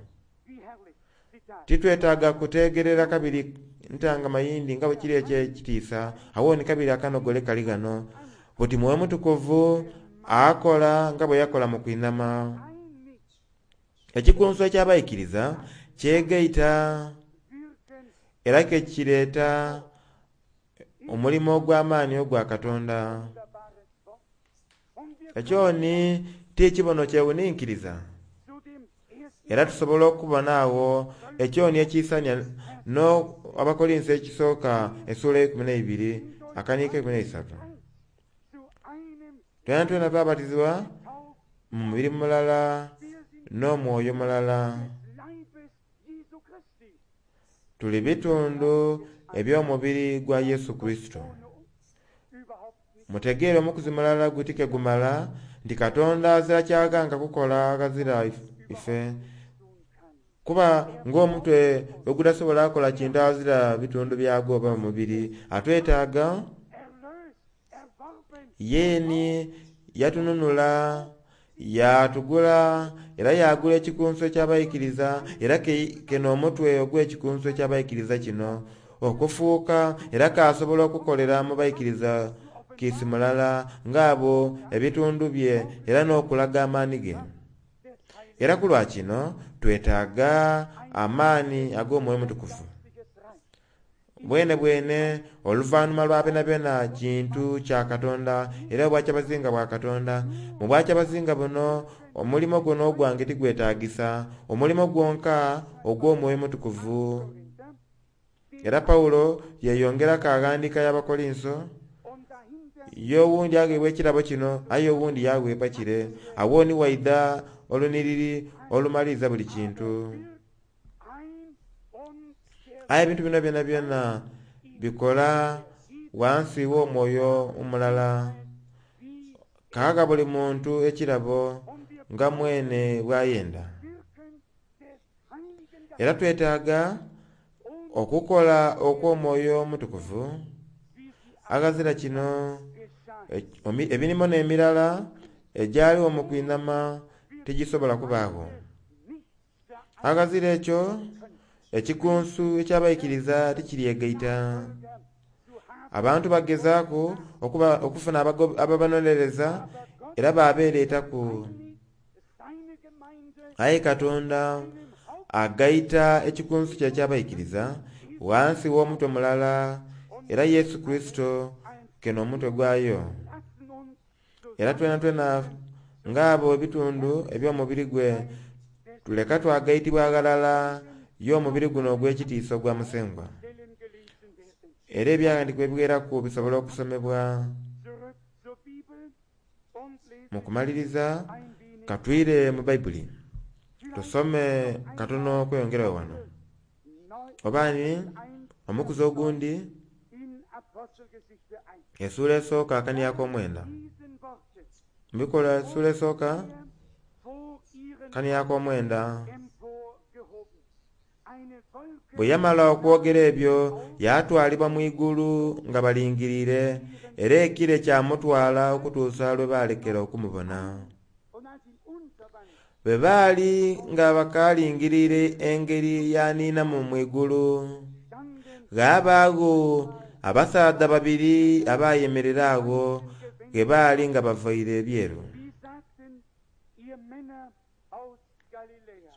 Titwetaaga kutegerera kabiri ntangama yindi nga bwe kiri eky'ekitiisa, awo ni kabiri akanogole kali ghano. Buti Mwoyo Mutukuvu akola nga bwe yakola mu kwinhama. Ekikunsu eky'abaikiriza kyegaita era ke kireeta omulimo ogw'amaani ogwa Katonda. Ekyo ni ti kibono kyewuninkiriza, era tusobola okubona agho ekyoni ekisania no Abakorinso ekisooka essuula eikumi n'eibiri akaniiko eikumi n'eisatu. Twena twena twabatizibwa mu mubiri mulala n'omwoyo mulala. Tuli bitundu eby'omubiri gwa Yesu Kurisito. Mutegeere omukuzi mulala guti ke gumala nti Katonda azira kyaganga kukola ghazira ife. Kuba ng'omutwe ogutasobola kukola kintu azira bitundu byagwo oba mubiri, atwetaaga yeeni yatununula, yatugula era yagula ekikunsu eky'abaikiriza, era keno omutwe ogw'ekikunsu eky'abaikiriza kino okufuuka era kasobola okukolera mu baikiriza kiisi mulala ng'abo ebitundu bye era n'okulaga amaani ge. Era ku lwa kino twetaaga amaani ag'Omwoyo Mutukuvu. Bwene bwene oluvannyuma lwa byonabyona kintu kya Katonda era obwakyabazinga bwa Katonda. Mu bwakyabazinga buno omulimo guno ogwange tigwetaagisa, omulimo gwonka ogw'Omwoyo Mutukuvu. Era Pawulo yeeyongeraku aghandiika y'Abakorinso, ye owundi agheebwa ekirabo kino aye owundi yaweebwa kire. Awo ni waidha oluniriri olumaliriza buli kintu. Aye ebintu bino byonabyona bikola wansi w'omwoyo omulala. Kaagha buli muntu ekirabo nga mwene bw'ayenda. Era twetaaga okukola okw'Omwoyo Omutukuvu. Aghazira kino emirimo n'emirala egyaliwo mu kwinhama tigisobola kubaagho. Aghazira ekyo ekikunsu eky'abaikiriza tikiryegaita. Abantu bagezaaku okufuna ababanonereza era babeereetaku. Aye Katonda agaita ekikunsu kye eky'abaikiriza wansi w'omutwe mulala, era Yesu Kurisito keno omutwe gwayo. Era twena twena ng'abo ebitundu eby'omubiri gwe Tuleka twagaitibwa aghalala y'omubiri guno ogw'ekitiisa ogwa Musengwa. Stellen gelesen werden. Era ebyawandiikibwa ebiweraku bisobola okusomebwa. Zurück zur Bibel und lesen Mu kumaliriza ein wenig. katwire mu Bayibuli tusome katono okweyongerayo wano. Neu Obaani eins omukuzi ogundi in Apostelgeschichte eins. essuula esooka akaniako omwenda. Diesen Worten Mubikola essuula esooka er vor ihren kaniako omwenda. emporgehoben. Eine Wolke Bwe yamala okwogera ebyo yatwalibwa mu igulu nga balingiriire, era ekire kyamutwala okutuusa lwe baalekera okumubona. und als ihn unterwand Bwe baali nga bakaalingiriire engeri yaniinamu mu igulu, standen ghabaagho abasaadha babiri abayemerera agho ge baali nga bavaire ebyeru. Wie sagten ihr Männer aus Galiläa,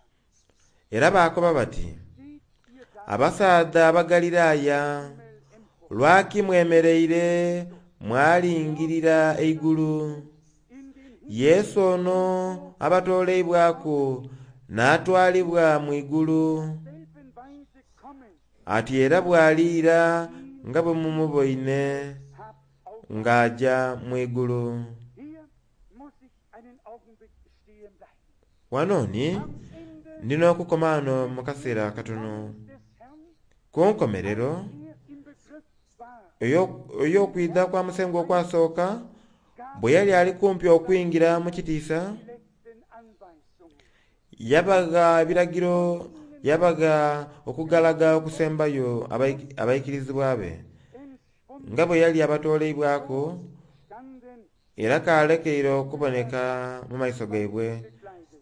Era baakoba bati, steht ihr da abasaadha Abagaliraaya, Himmel empor, lwaki mwemereire mwalingirira eigulu? in den Himmel Yesu ono abatooleibwaku n'atwalibwa mu igulu, selben Weise kommen, ati era bw'aliira nga bwe mumuboine habt auf. ng'aja mu igulu. Hier muss ich einen Augenblick stehen bleiben. Wano ni Am Ende ndina okukoma wano mu kaseera akatono. des Herrn, Ku nkomerero er im Begriff war, eyo- ey'okwidha kwa Musengwa okwasooka, bwe yali ali kumpi okwingira mu kitiisa, die letzten Anweisungen. yabagha ebiragiro, yabagha okugalaga okusembayo abaik- abaikirizibwa be, Entschwunden nga bwe yali abatooleibwaku standen era kalekeire okuboneka mu maiso gaibwe. bekleidet.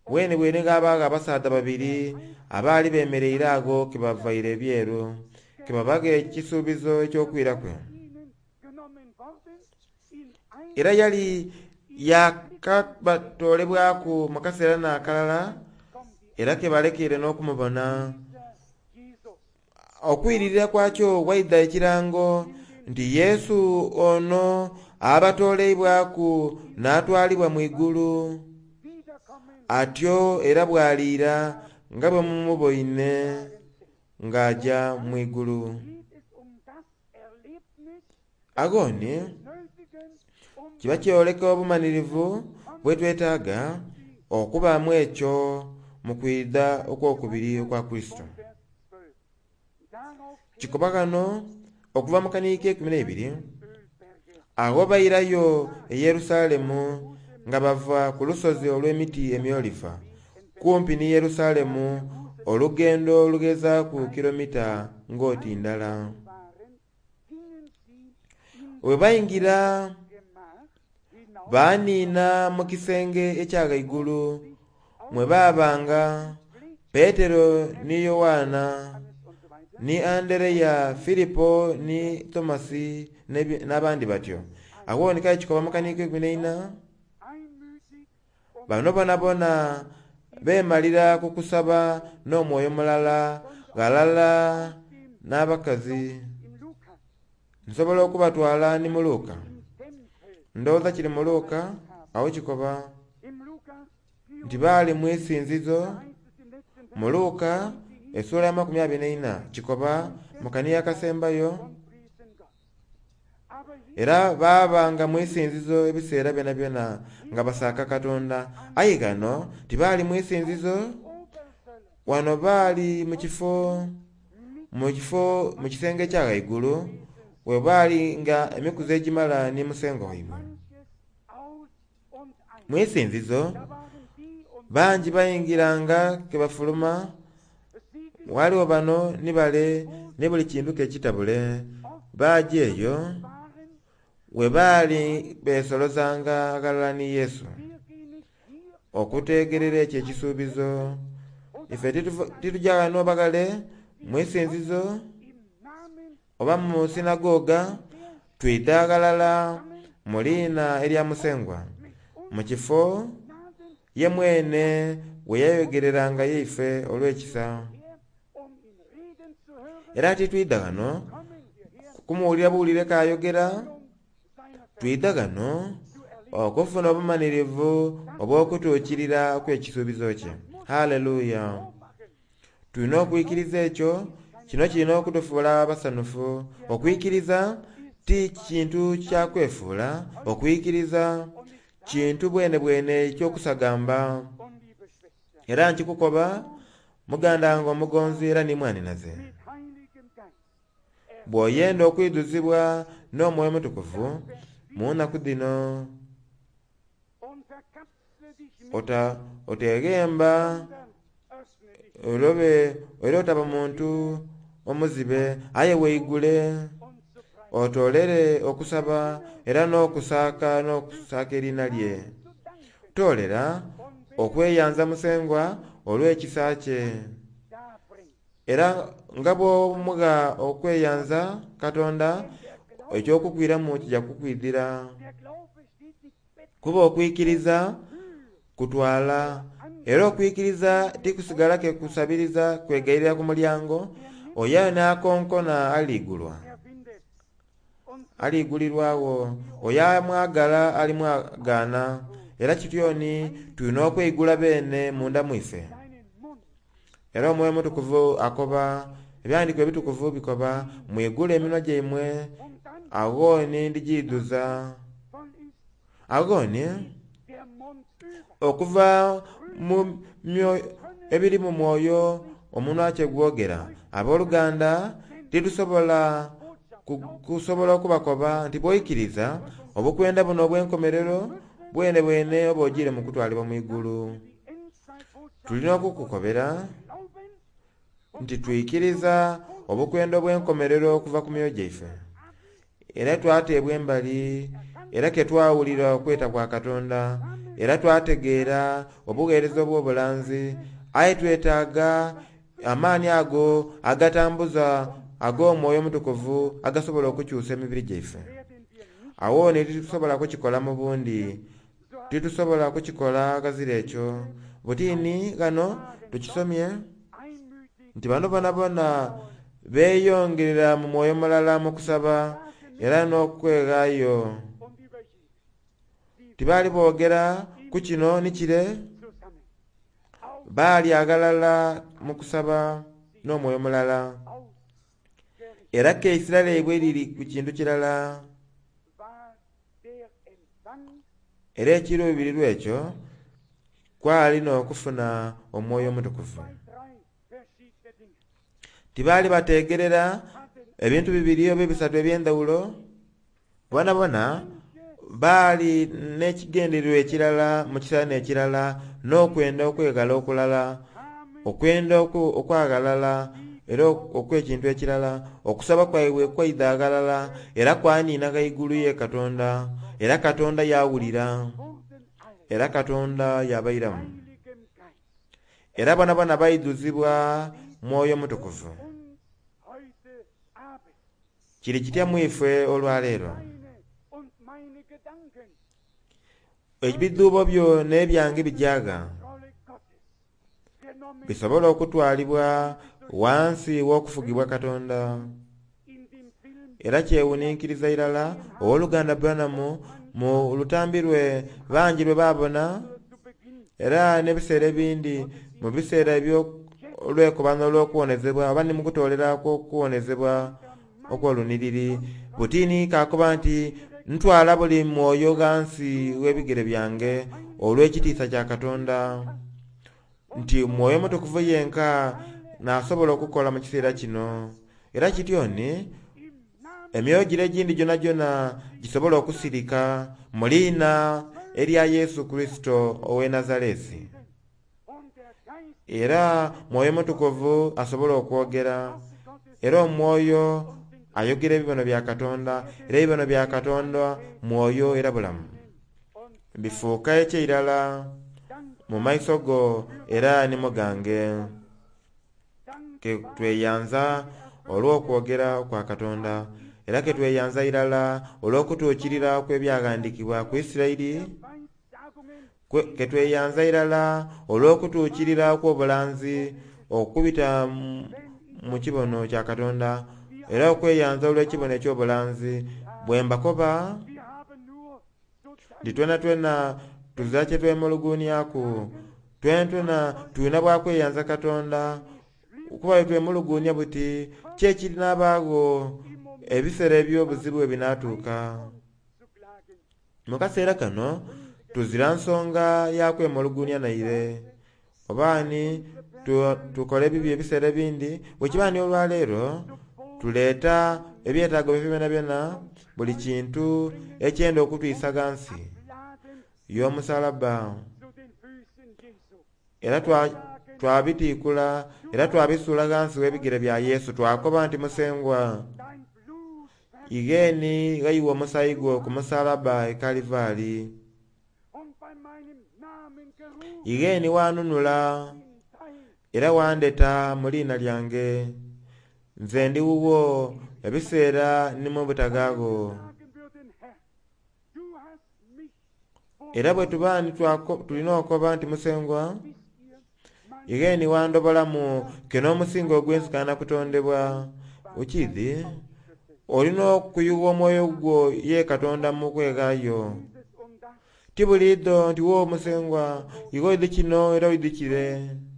Bwene bwene ghabaagho abasaadha babiri abaali bemereire agho ke bavaire ebyeru, ke babagha ekisuubizo eky'okwira kwe. Ihnen genommen worden, in ein Era yali yakabatoolebwaku mu kaseera n'akalala, kommt die era ke balekeire n'okumubona. dieser Jesus Okwiririra kwakyo waidha ekirango nti Yesu ono abatooleibwaku n'atwalibwa mu igulu, wiederkommen atyo era bw'aliira nga bwe mumuboine ng'aja mu igulu. geht es um das Erlebnis Agho ni nötigen, um kiba kyoleka obumanirivu bwe twetaaga okubaamu ekyo mu kwidha okwokubiri okwa Kurisito. Vers zwölf. Darauf Kikoba ghano okuva mu kaniiko ekumi n'eibiri, Ölberge agho bairayo e Yerusalemu nga bava ku lusozi olw'emiti emyoliva, kumpi ni Yerusalemu olugendo olugezaaku kilomita ng'oti ndala. waren, gingen sie in Bwe bayingira Gemach hinauf baaniina mu kisenge ekya ghaigulu mwe baabanga Petero ni Yowaana und so weiter. ni Andereya, Filipo ni Tomasi n'ebi- n'abandi batyo. Agho ni kale kikoba mu kaniiko ekumi n'eina, Einmütig und bano bonabona beemalira ku kusaba n'omwoyo mulala ghalala n'abakazi. in Lukas Nsobola okubatwala ni mu Luka. im Tempel, Ndowooza kiri mu Luka, awo kikoba im Lukas nti baali mu isinzizo. heißt es im letzten Mu Luka essuula ya makumi abiri n'eina kikoba mu kaniya akasembayo, und priesen Gott. Aber hier era baabanga mu isinzizo ebiseera byonabyona nga basaaka Katonda. Aye ghano tibaali mu isinzizo, Oberzöller wano baali mu kifo mu kifo mu kisenge ekya ghaigulu we baali nga emikuzi egimala ni Musengwa waibwe. manches aus und ein. Mu isinzizo Da waren die und bangi bayingiranga ke bafuluma, Siegen waliwo bano ni bale ni buli kintu ke kitabule. Baaja eyo waren, we baali beesolozanga aghalala ni Yesu wir gehen nicht hier okuteegerera ekyo ekisuubizo. Ife titufu- tituja ghano baghale mu isinzizo im Namen oba mu sinagoga, twidha ghalala mu liina erya Musengwa, mit mu kifo Gnaden ye mwene we yayogereranga yeife olw'ekisa. her, um ihn reden zu hören, Era titwidha ghano kommen wir her, kumuwulira buwulire k'ayogera, seiner twidha ghano zu erleben. okufuna obumanirivu obw'okutuukirira kw'ekisuubizo kye. Haleluya! Tulina okwikiriza ekyo. Kino kirina okutufuula abasanufu. Okwikiriza ti kintu kya kwefuula. Okwikiriza kintu bwene bwene ekyokusagamba. Und liebe Schwester, Era nkikukoba muganda wange omugonzi era ni mwaninaze, mit Heiligem Geist bw'oyenda okwidhuzibwa n'omwoyo omutukuvu mu nnaku dhino, und verkapsle dich nicht, ota oteghemba sondern öffne dich olobe era otaba muntu omuzibe, aye weigule und zu preisen, otolere okusaba era n'okusaaka n'okusaaka eriina lye. zu danken Toolera und okweyanza Musengwa olw'ekisa kye, darbringt. era nga bw'omugha okweyanza Katonda, ekyokukwiramu kijja kukwidhira. Der Glaube steht nicht bett Kuba okwikiriza kutwala, era okwikiriza tikusigala ke kusabiriza kwegayirira ku mulyango. Oyo n'akonkona aligulwa, er findet und aligulirwawo. Oyo amwagala alimwagaana. Era kityoni tulina okweigula beene munda mwife. deinen Mund Era omwoyo omutukuvu akoba, ebyandiiko ebitukuvu bikoba, mwigule eminwa gyaimwe, und dann aghoni ndigiidhuza. voll ist Aghoni der Mund über. okuva mu myoyo ebiri mu mwoyo omunwa kye gwogera. Abooluganda, titusobola ku- kusobola okubakoba nti bw'oikiriza obukwenda buno obw'enkomerero bwene bwene oba ogiire mu kutwalibwa mu igulu. Die Endzeitbotschaft Tulina okukukobera glauben nti twikiriza obukwenda obw'enkomerero okuva ku myoyo gyaife, era twateebwa embali, era ke twawulira okweta kwa Katonda, era twategeera obugheereza obw'obulanzi. Aye twetaaga amaani ago agatambuza ag'omwoyo omutukuvu agasobola okukyusa emibiri gyaife. werden wir nicht Awo ni titusobola kukikola mu bundi, titusobola kukikola ghazira ekyo. Butini ghano tukisomye einmütig nti bano bonabona beeyongerera mu mwoyo mulala mu kusaba era n'okweghaayo. und über jenes, die Tibaali boogera ku kino ni kire, zusammen auf baali aghalala mu kusaba n'omwoyo mulala. ausgerichtet Era keisira lyaibwe liri ku kintu kirala. war der Empfang Era ekiruubirirwa ekyo kwali n'okufuna omwoyo omutukuvu. zwei, drei verschiedene Dinge. Tibaali bateegerera Hatten ebintu bibiri oba ebisatu eby'endhawulo. Bonabona baali n'ekigendererwa ekirala mu kiseera n'ekirala, n'okwenda okweghala okulala, kamen okwenda oku- okwaghalala era ok- okw'ekintu ekirala. Okusaba kwaibwe kwaidha aghalala era kwaniina ghaigulu ye Katonda, era Katonda yawulira, wurden alle era Katonda yabairamu. Heiligem Geist Era bonabona baidhuzibwa mwoyo mutukuvu. uns heute Abend Kiri kitya mu ife olwaleero? deine und meine Gedanken Ebidhuubo byo n'ebyange bijaga Kontrolle Gottes genommen bisobola okutwalibwa wansi w'okufugibwa Katonda. in dem Film Era kyewuninkiriza irala owooluganda Branham mu lutambi lwe bangi lwe baabona, zu Beginn era n'ebiseera ebindi mu biseera eby'olwekobano olw'okuwonezebwa oba ni mu kutoolera kw'okuwonezebwa okw'oluniriri, butini kakoba nti ntwala buli mwoyo ghansi w'ebigere byange olw'ekitiisa kya Katonda, nti mwoyo mutukuvu yenka n'asobola okukola mu kiseera kino. Era kityoni im Namen emyoyo gire egindi gyonagyona gisobola okusirika mu liina erya Yesu Kurisito ow'e Nazaresi. und der Geist Era mwoyo mutukuvu asobola okwogera, era omwoyo ayogera ebibono bya Katonda, era ebibono bya Katonda mwoyo era bulamu. und Bifuuka ekyeirala Dank mu maiso go era ni mu gange. Dank Ke tweyanza olw'okwogera kwa Katonda, era ke tweyanza irala olw'okutuukirira kw'ebyaghandiikibwa ku Isiraeli, Weissagungen kwe- ke tweyanza irala olw'okutuukirira kw'obulanzi okubita mu- mu kibono kya Katonda, era okweyanza olw'ekibono eky'obulanzi. Bwe mbakoba wir haben nur zu nti twena twena tuzira kye twemuluguunyaku, Twentwena tulina bwakweyanza Katonda kuba twemulugunya buti ki ekirinabaagho ebiseera eby'obuzibu ebinaatuuka. Zu klagen. Mu kaseera kano tuzira nsonga ya kwemulugunya naire obaani tu- tukola ebibi ebiseera ebindi bwekiba ni olwaleero tuleeta ebyetaago byaife byona byona buli kintu ekyenda okutwisa ghansi Laden y'omusalaba zu den Füßen Jesu. era twa- twabitiikula era twabisuula ghansi w'ebigere bya Yesu twakoba nti Musengwa Dein Blut igheeni ghayiwa omusaayi gwo ku musalaba e Kalivaali und bei meinem Namen gerufen igheeni wanunula in dein era wandeta mu liina lyange nze ndi wuwo ebiseera ni mu butagaago sagen würden, Herr, du hast mich vor era bwe tuba ni twako- tulina okoba nti Musengwa bis ihr mein igheeni wandobolamu ke n'omusingo ogw'ensikana kutondebwa okiidhi olina okuyuwa omwoyo gwo ye Katonda mu kweghaayo dieses und das ti buliidho nti wo Musengwa ighe oidhi kino era oidhi kire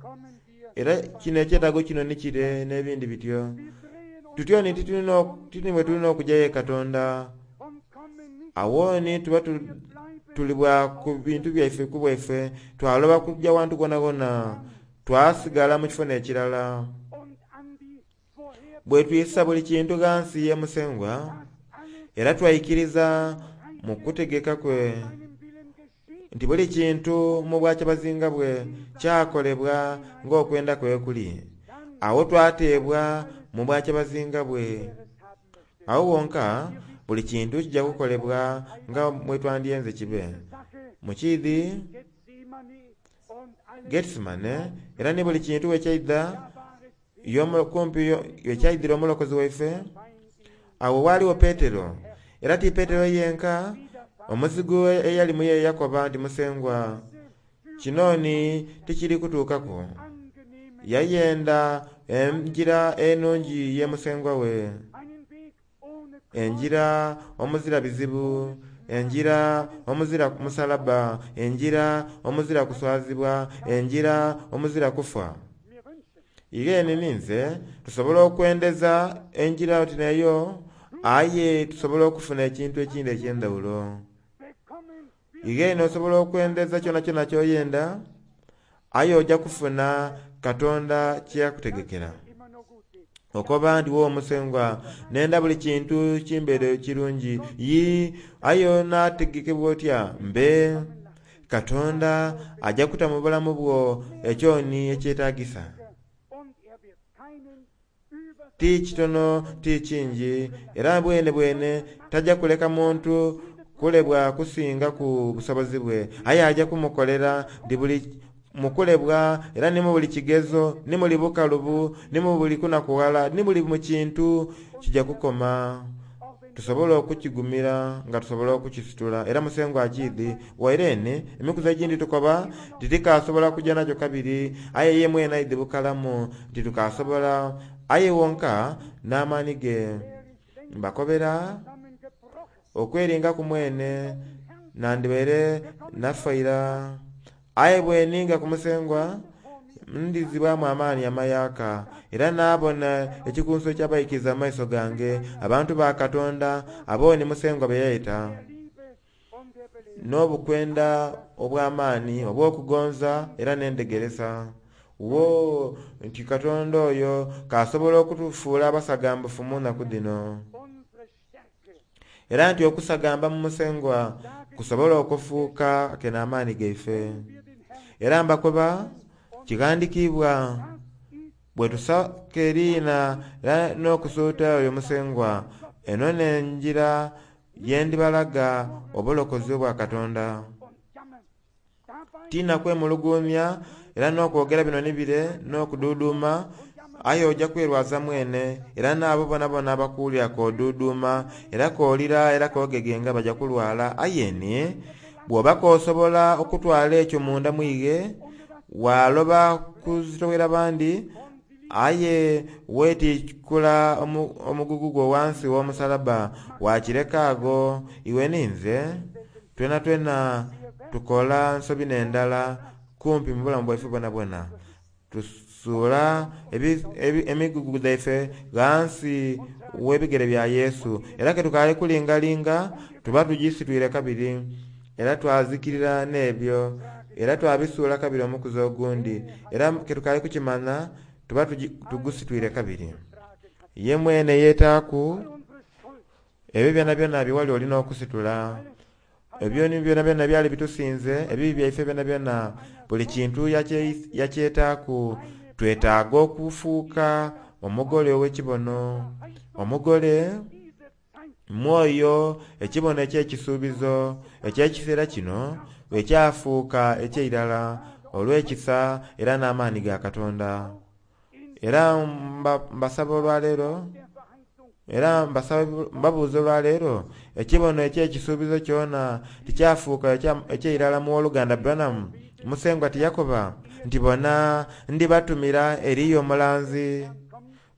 kommen wir, era kino ekyetaago kino ni kire n'ebindi bityo wir drehen uns tutyo ni titulina tini bwe tulina okujja ye Katonda und kommen nicht, awo ni tuba tu- wir bleiben tulibwa ku bintu byaife ku bwaife twaloba kujja wantu gwonagwona twasigala mu kifo n'ekirala und an die vorher bwe twisa buli kintu ghansi ye Musengwa dass alles era twaikiriza mu kutegeka kwe seinem Willen geschieht, nti buli kintu mu bwakyabazinga bwe kyakolebwa ng'okwenda kwe kuli awo twateebwa mu bwakyabazinga bwe er es haben möchte. awo wonka buli kintu kijja kukolebwa nga mwe twandyenze kibe Sache mukiidhi Gethsemane und alles Getsemane era ni buli kintu wekyaidha da war es yomu- kumpi yo- wekyaidhira omulokozi waife fein awo waaliwo Petero era ti Petero yenka omuzigu eyali muye yakoba nti Musengwa kino ni tikiri kutuukaku angenehme yayenda enjira enungi ye Musengwa we einen Weg ohne Kreuz, enjira omuzira bizibu enjira omuzira musalaba enjira omuzira kuswazibwa enjira omuzira kufa mir wünschen, igheeni ninze tusobola okwendeza enjira oti neyo aye tusobola okufuna ekintu ekindi eky'endawulo bekommen wir igheeni osobola okwendeza kyona kyona kyoyenda aye ojja kufuna Katonda kyeyakutegekera immer nur gut geht. okoba nti wo Musengwa nenda buli kintu kimbeere kirungi yi aye onaategekebwa otya mbe Katonda ajja kuta mu bulamu bwo ekyoni ekyetaagisa Und er wird keinen über ti kitono ti kingi era bwene bwene tajja kuleka muntu kulebwa kusinga ku busobozi bwe aye ajja kumukolera nti buli mukulebwa era ni mu buli kigezo ni muli bukalubu ni mu buli kunakuwala ni buli mu kintu kijja kukoma auch wenn tusobola okukigumira nga tusobola okukisitula era Musengwa akiidhi wairene emikuzi egindi tukoba nti tikasobola kujja nakyo kabiri aye ye mwene aidhi bukalamu nti tukasobola aye wonka n'amaani ge mbakobera zusammengebrochen okweringa ku mwene nandibaire nafaira aye bweninga ku Musengwa ndizibwamu amaani amayaka era naabona ekikunso eky'abaikiriza mu maiso gange abantu ba Katonda abo ni Musengwa be yaita der Liebe und der Belehrung. n'obukwenda obw'amaani obw'okugonza era n'endegeresa wo nti Katonda oyo kasobola okutufuula abasagambufu mu nnaku dhino Unsere Stärke era nti okusagamba mu Musengwa kusobola okufuuka ke n'amaani gaife wir den Herrn, era mbakoba kighandikiibwa das ist bwe tusaka eriina era n'okusuuta oyo Musengwa eno n'enjira ye ndibalaga obulokozi obwa Katonda und jammern. Dabei tina kwemuluguumya era n'okwogera bino ni bire n'okuduuduuma aye ojja kwerwaza mwene era n'abo bonabona abakuwulira k'oduuduuma era k'olira era k'ogegenga bajja kulwala aye ni bw'oba k'osobola okutwala ekyo munda mwighe waloba kuzitowera bandi aye weetiikula omu- omugugu gwo wansi w'omusalaba wakireka ago iwe ninze twena twena tukola nsobi n'endala kumpi mu bulamu bwaife bwonabwona. Tusuula emigugu dhaife ghansi w'ebigere bya Yesu, era ketukaali kulingalinga tuba tugisitwire kabiri, era twazikirira n'ebyo, era twabisuula kabiri omukuzi ogundi, era ketukaali kukimanya tuba tugusitwire kabiri. Ye mwene yeetaaku ebyo byonabyona bye wali olina okusitula, ebyo byonabyona byali bitusinze, ebibi byaife byonabyona, buli kintu yakyetaaku. Twetaaga okufuuka omugole ow'ekibono, omugole mwoyo ekibono eky'ekisuubizo eky'ekiseera kino ekyafuuka eky'eirala olw'ekisa era n'amaani ga Katonda. Era mbasaba olwaleero, era mbabuuza olwaleero, ekibono eky'ekisuubizo kyona tikyafuuka eky'eirala mu woluganda Branham? Musengwa tiyakoba nti bona ndibatumira eriyo omulanzi,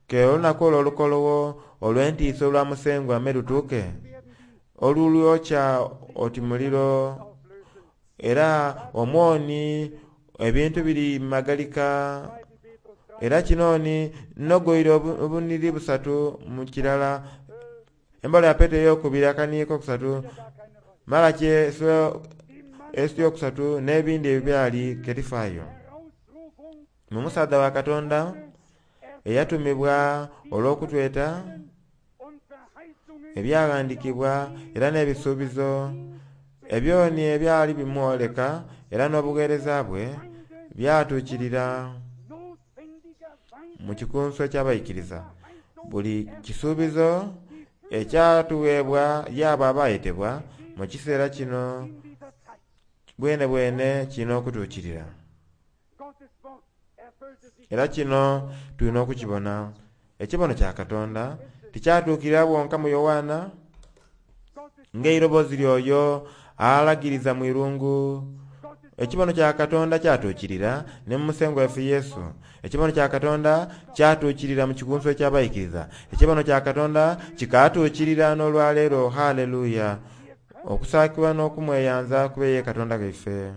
ke olunaku olwo olukolowo olw'entiisa olwa Musengwa me lutuuke, olulwokya oti muliro, era omwoni ebintu biri magalika. Era kinoni nnogoire obuniri busatu mu kirala, embala ya Petero ey'okubiri akaniiko kusatu, Malaki eyokusatu n'ebindi ebyali ketifaayo. Mu musaadha wa Katonda eyatumibwa olw'okutweta ebyaghandikibwa era n'ebisuubizo ebyoni ebyali bimwoleka era n'obugheereza bwe byatuukirira mu kikunsu eky'abaikiriza. Buli kisuubizo ekyatuweebwa y'abo abaayetebwa mu kiseera kino bwene bwene kirina okutuukirira. Era kino tulina okukibona. Ekibono kya Katonda tikyatuukirira bwonka mu Yowaana ng'eiroboozi lyoyo alagiriza mu irungu. Ekibono kya Katonda kyatuukirira ne mu Musengwa waife Yesu. Ekibono kya Katonda kyatuukirira mu kikunsu eky'abaikiriza. Ekibono kya Katonda kikaatuukirira n'olwaleero. Haleluya! Okusaakibwa n'okumweyanza kube ye Katonda waife.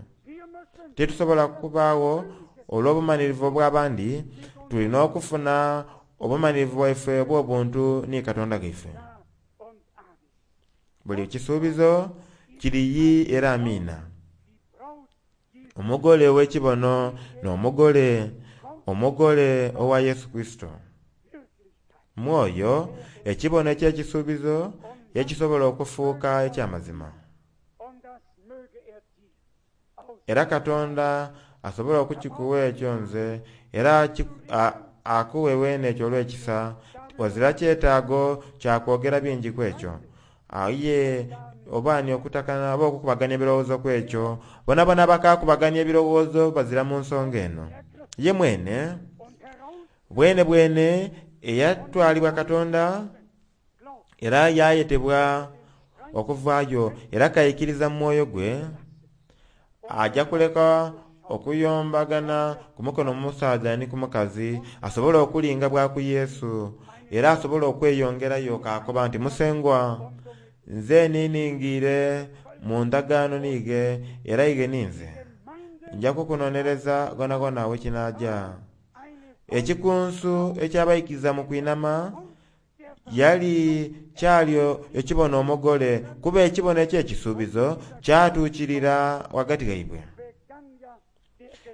Titusobola kubaagho olw'obumalirivu obw'abandi, tulina okufuna obumalirivu bwaife obw'obuntu ni Katonda waife. Buli kisuubizo kiriyi era amiina. Omugole ow'ekibono n'omugole, omugole owa Yesu Kurisito. Mwoyo ekibono eky'ekisuubizo ekisobola okufuuka eky'amazima. Era Katonda asobola okukikuwa ekyo nze, era akuwe weene ekyo olw'ekisa. Wazira kyetaago kya kwogera bingi ku ekyo. Aye obaani okutakana oba okukubaganya ebirowoozo ku ekyo, bonabona bakakubaganya ebirowoozo bazira mu nsonga eno. Ye mwene bwene bwene eyatwalibwa Katonda era yayetebwa okuvaayo, era kaikiriza mu mwoyo gwe, ajja kuleka okuyombagana ku mukono omusaadha ni ku mukazi, asobole okulinga bwaku Yesu, era asobole okweyongerayo kakoba nti Musengwa, nze niningiire mu ndagaano niige era ige ninze nja kukunonereza gonagona wekinaaja. Ekikunsu ekyabaikiriza mu kwinama yali kyalyo ekibono omugole, kuba ekibono eky'ekisuubizo kyatuukirira ghagati ghaibwe.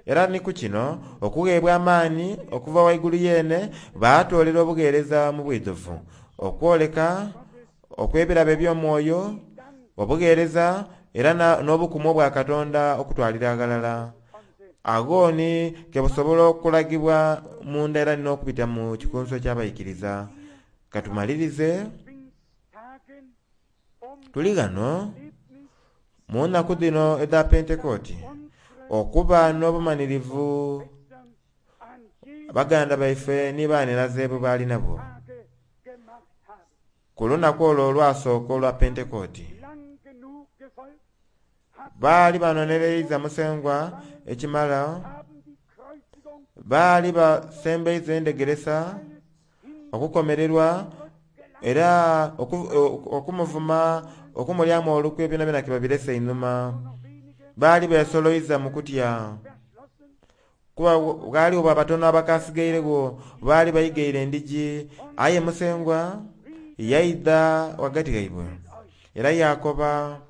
Era ni ku kino okugheebwa amaani okuva waigulu yeene baatoolera obugheereza mu bwidhuvu, okwoleka okw'ebirabo eby'omwoyo, obugheereza era n'obukumu obwa Katonda okutwalira aghalala. Agho ni kebusobola okulagibwa munda era n'okubita mu kikunsu eky'abaikiriza. Katumalirize tuli ghano mu nnaku dhino edha Pentekooti okuba n'obumalirivu baganda baife ni baninaze bwe baali nabwo ku lunaku olwo olwasooka olwa Pentekooti. Baali banonereiza Musengwa ekimala, baali basembeiza endegeresa okukomererwa era okumuvuma, okumulyamu olukwe byonabyona ke babirese einhuma. Baali besoloiza mu kutya. Kuba ghaliwo batono abakasigairegho baali baigaire endigi, aye Musengwa yaidha ghagati ghaibwe era yakoba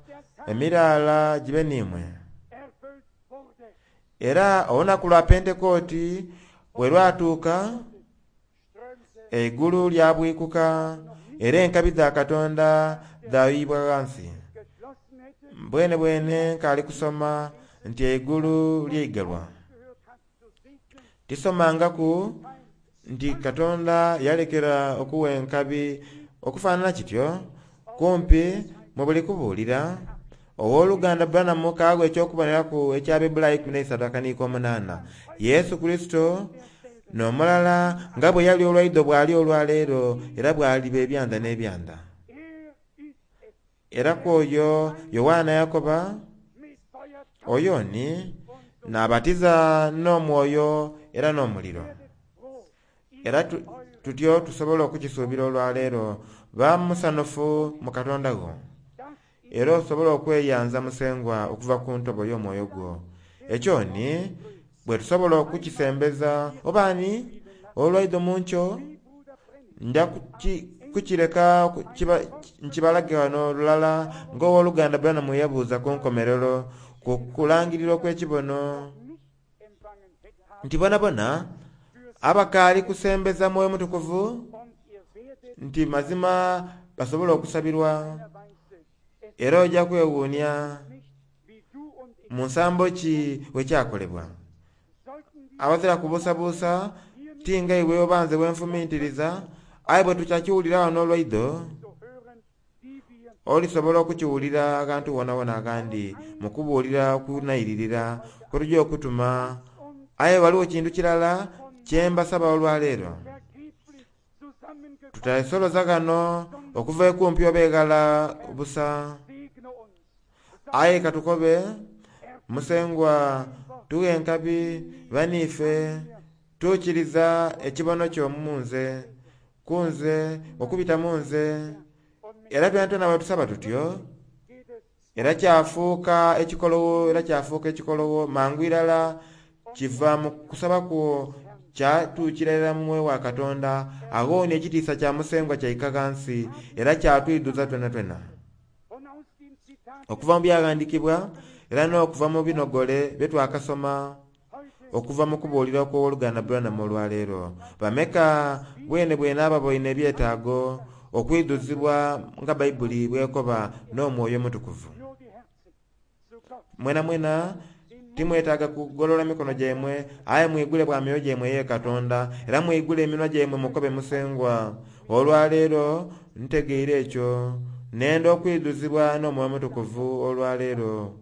emiraala gibe n'imwe. Era olunaku lwa Pentekooti bwe lwatuuka, eigulu lyabwikuka era enkabi dha Katonda dhayuyibwa ghansi. Bwene bwene nkaali kusoma nti eigulu lyaigalwa. Tisomangaku nti Katonda yalekera okuwa enkabi okufaanana kityo kumpi mu buli kubuulira. Owooluganda Branham kaagho eky'okuboneraku ekya Bebulaayi ikumi n'eisatu akaniiko omunaana. Yesu Kurisito n'omulala nga bwe yali olwaidho bw'ali olwaleero era bw'aliba ebyanda n'ebyanda. Era kw'oyo Yowaana yakoba, oyo ni n'abatiza n'omwoyo era n'omuliro. Era tutyo tusobola okukisuubira olwaleero. Ba musanufu mu Katonda gwo, era osobola okweyanza Musengwa okuva ku ntobo y'omwoyo gwo. Ekyo ni bwe tusobola okukisembeza oba ni olwaidho mu nkyo nja kukireka nkibalage wano lulala ng'owooluganda Branham yabuuza ku nkomerero ku kulangirira okw'ekibono nti bonabona abakaali kusembeza Mwoyo Mutukuvu nti mazima basobola okusabirwa. Era ojja kwewuunia mu nsambo ki wekyakolebwa. Abazira kubuusabuusa tinga iwe obanze bwenfumintiriza, aye bwe tukyakiwulira wano olwaidho olisobola okukiwulira aghantu wonawona agandi mu kubuulira okunairirira kwetujja okutuma. Aye waliwo kintu kirala kyembasaba olwaleero. Tutasoloza ghano okuva ekumpi oba eghala busa, aye katukobe Musengwa tughe enkabi baniife tuukiriza ekibono kyo mu nze kunze okubita mu nze. Era twena bwe tusaba tutyo era kyafuuka ekikolowo, era kyafuuka ekikolowo mangu irala kiva mu kusaba kwo kyatuukira irala mu mwoyo wa Katonda. Agho ni ekitiisa kya Musengwa kyaika ghansi era kyatwidhuza twena twena. Okuva mu byaghandikibwa era n'okuva mu binogole bye twakasoma okuva mu kubuulira okw'owooluganda Branham olwaleero. Bameka bwene bwene ababoine ebyetaago okwidhuzibwa nga Bayibuli bwekoba n'Omwoyo Omutukuvu. Mwena mwena timwetaaga kugolola mikono gyaimwe, aye mwigule bwa myoyo gyaimwe ye Katonda, era mwigule eminwa gyaimwe mukobe Musengwa. Olwaleero ntegeire ekyo, nenda okwidhuzibwa n'Omwoyo Omutukuvu olwaleero.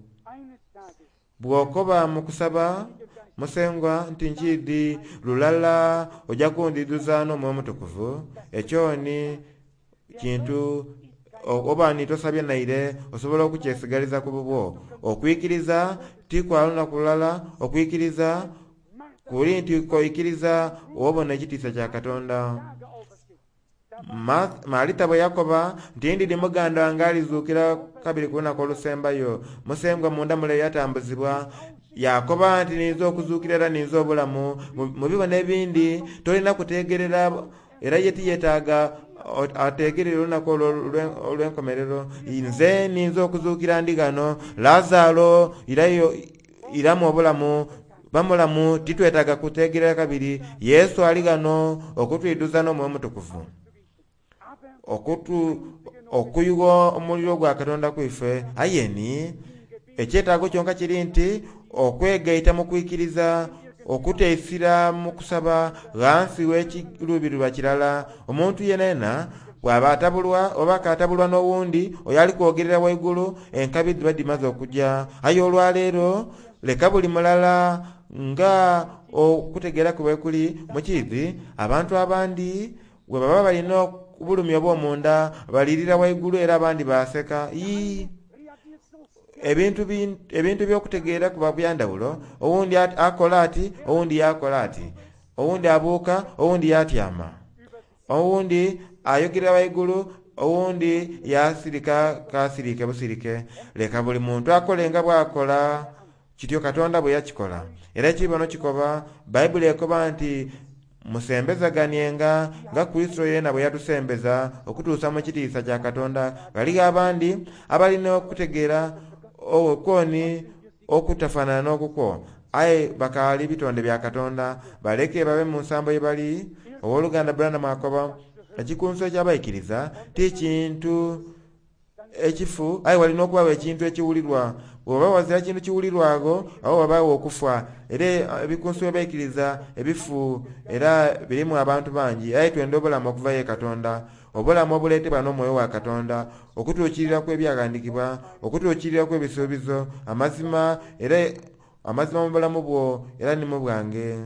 Bw'okoba mu kusaba Musengwa nti nkiidhi lulala ojja kundidhuza n'Omwoyo Omutukuvu, ekyo ni kintu oba ni tosabye naire osobola okukyesigaliza ku bubwo. Okwikiriza ti kwa lunaku lulala, okwikiriza kuli nti koikiriza obona ekitiisa kya Katonda. Marita bwe yakoba nti ndidi muganda wange alizuukira kabiri ku lunaku olusembayo, Musengwa munda mule yatambuzibwa yakoba nti ninza okuzuukira era ninza obulamu. Mu bibono ebindi tolina kutegerera, era ye tiyetaaga ategerere olunaku olwo olw'enkomerero. Nze ninza okuzuukira ndi ghano, Lazaro irayo iramu obulamu bamulamu, titwetaaga kutegerera kabiri. Yesu ali ghano okutwidhuza n'Omwoyo Omutukuvu, okutu okuyugha omuliro gwa Katonda kwife. Aye ni ekyetaago kyonka kiri nti okwegaita mu kwikiriza, okuteisira mu kusaba ghansi w'ekiruubirirwa kirala. Omuntu yenena bw'aba atabulwa oba akatabulwa n'owundi oyo ali kwogerera waigulu, enkabi dhiba dhimaze okujja. Aye olwaleero leka buli mulala nga okutegeera kwe bwe kuli mukiidhi. Abantu abandi bwe baba balina obulumi obw'omunda balirira waigulu era abandi baseka. Ii, ebintu ebintu by'okutegeera kuba byandawulo. Owundi akola ati, owundi yakola ati, owundi abuuka, owundi yatyama, owundi ayogera waigulu, owundi yasirika kasirike busirike. Leka buli muntu akole nga bw'akola Kityo Katonda bwe yakikola. Era ekibono kikoba, Bayibuli ekoba nti musembezaganienga nga Kristo yeena bwe yatusembeza okutuusa mu kitiisa kya Katonda. Ghaligho abandi abalina okutegeera okwoni okutafaanana n'okukwo, aye bakaali bitonde bya Katonda, baleke babe mu nsambo ye bali. Owooluganda Branham akoba ekikunsu eky'abaikiriza ti kintu ekifu, aye walina okubaawo ekintu ekiwulirwa. Bw'oba wazira kintu kiwulirwago, awo wabaawo okufa. Era ebikunsu by'abaikiriza ebifu era birimu abantu bangi, aye twenda obulamu okuva ye Katonda, obulamu obuleetebwa n'omwoyo wa Katonda, okutuukirira kw'ebyaghandikibwa, okutuukirira kw'ebisuubizo, amazima, era amazima mu bulamu bwo era ni mu bwange.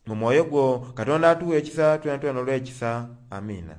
Mu mwoyo gwo Katonda atuwa ekisa, twena twena olw'ekisa. Amiina.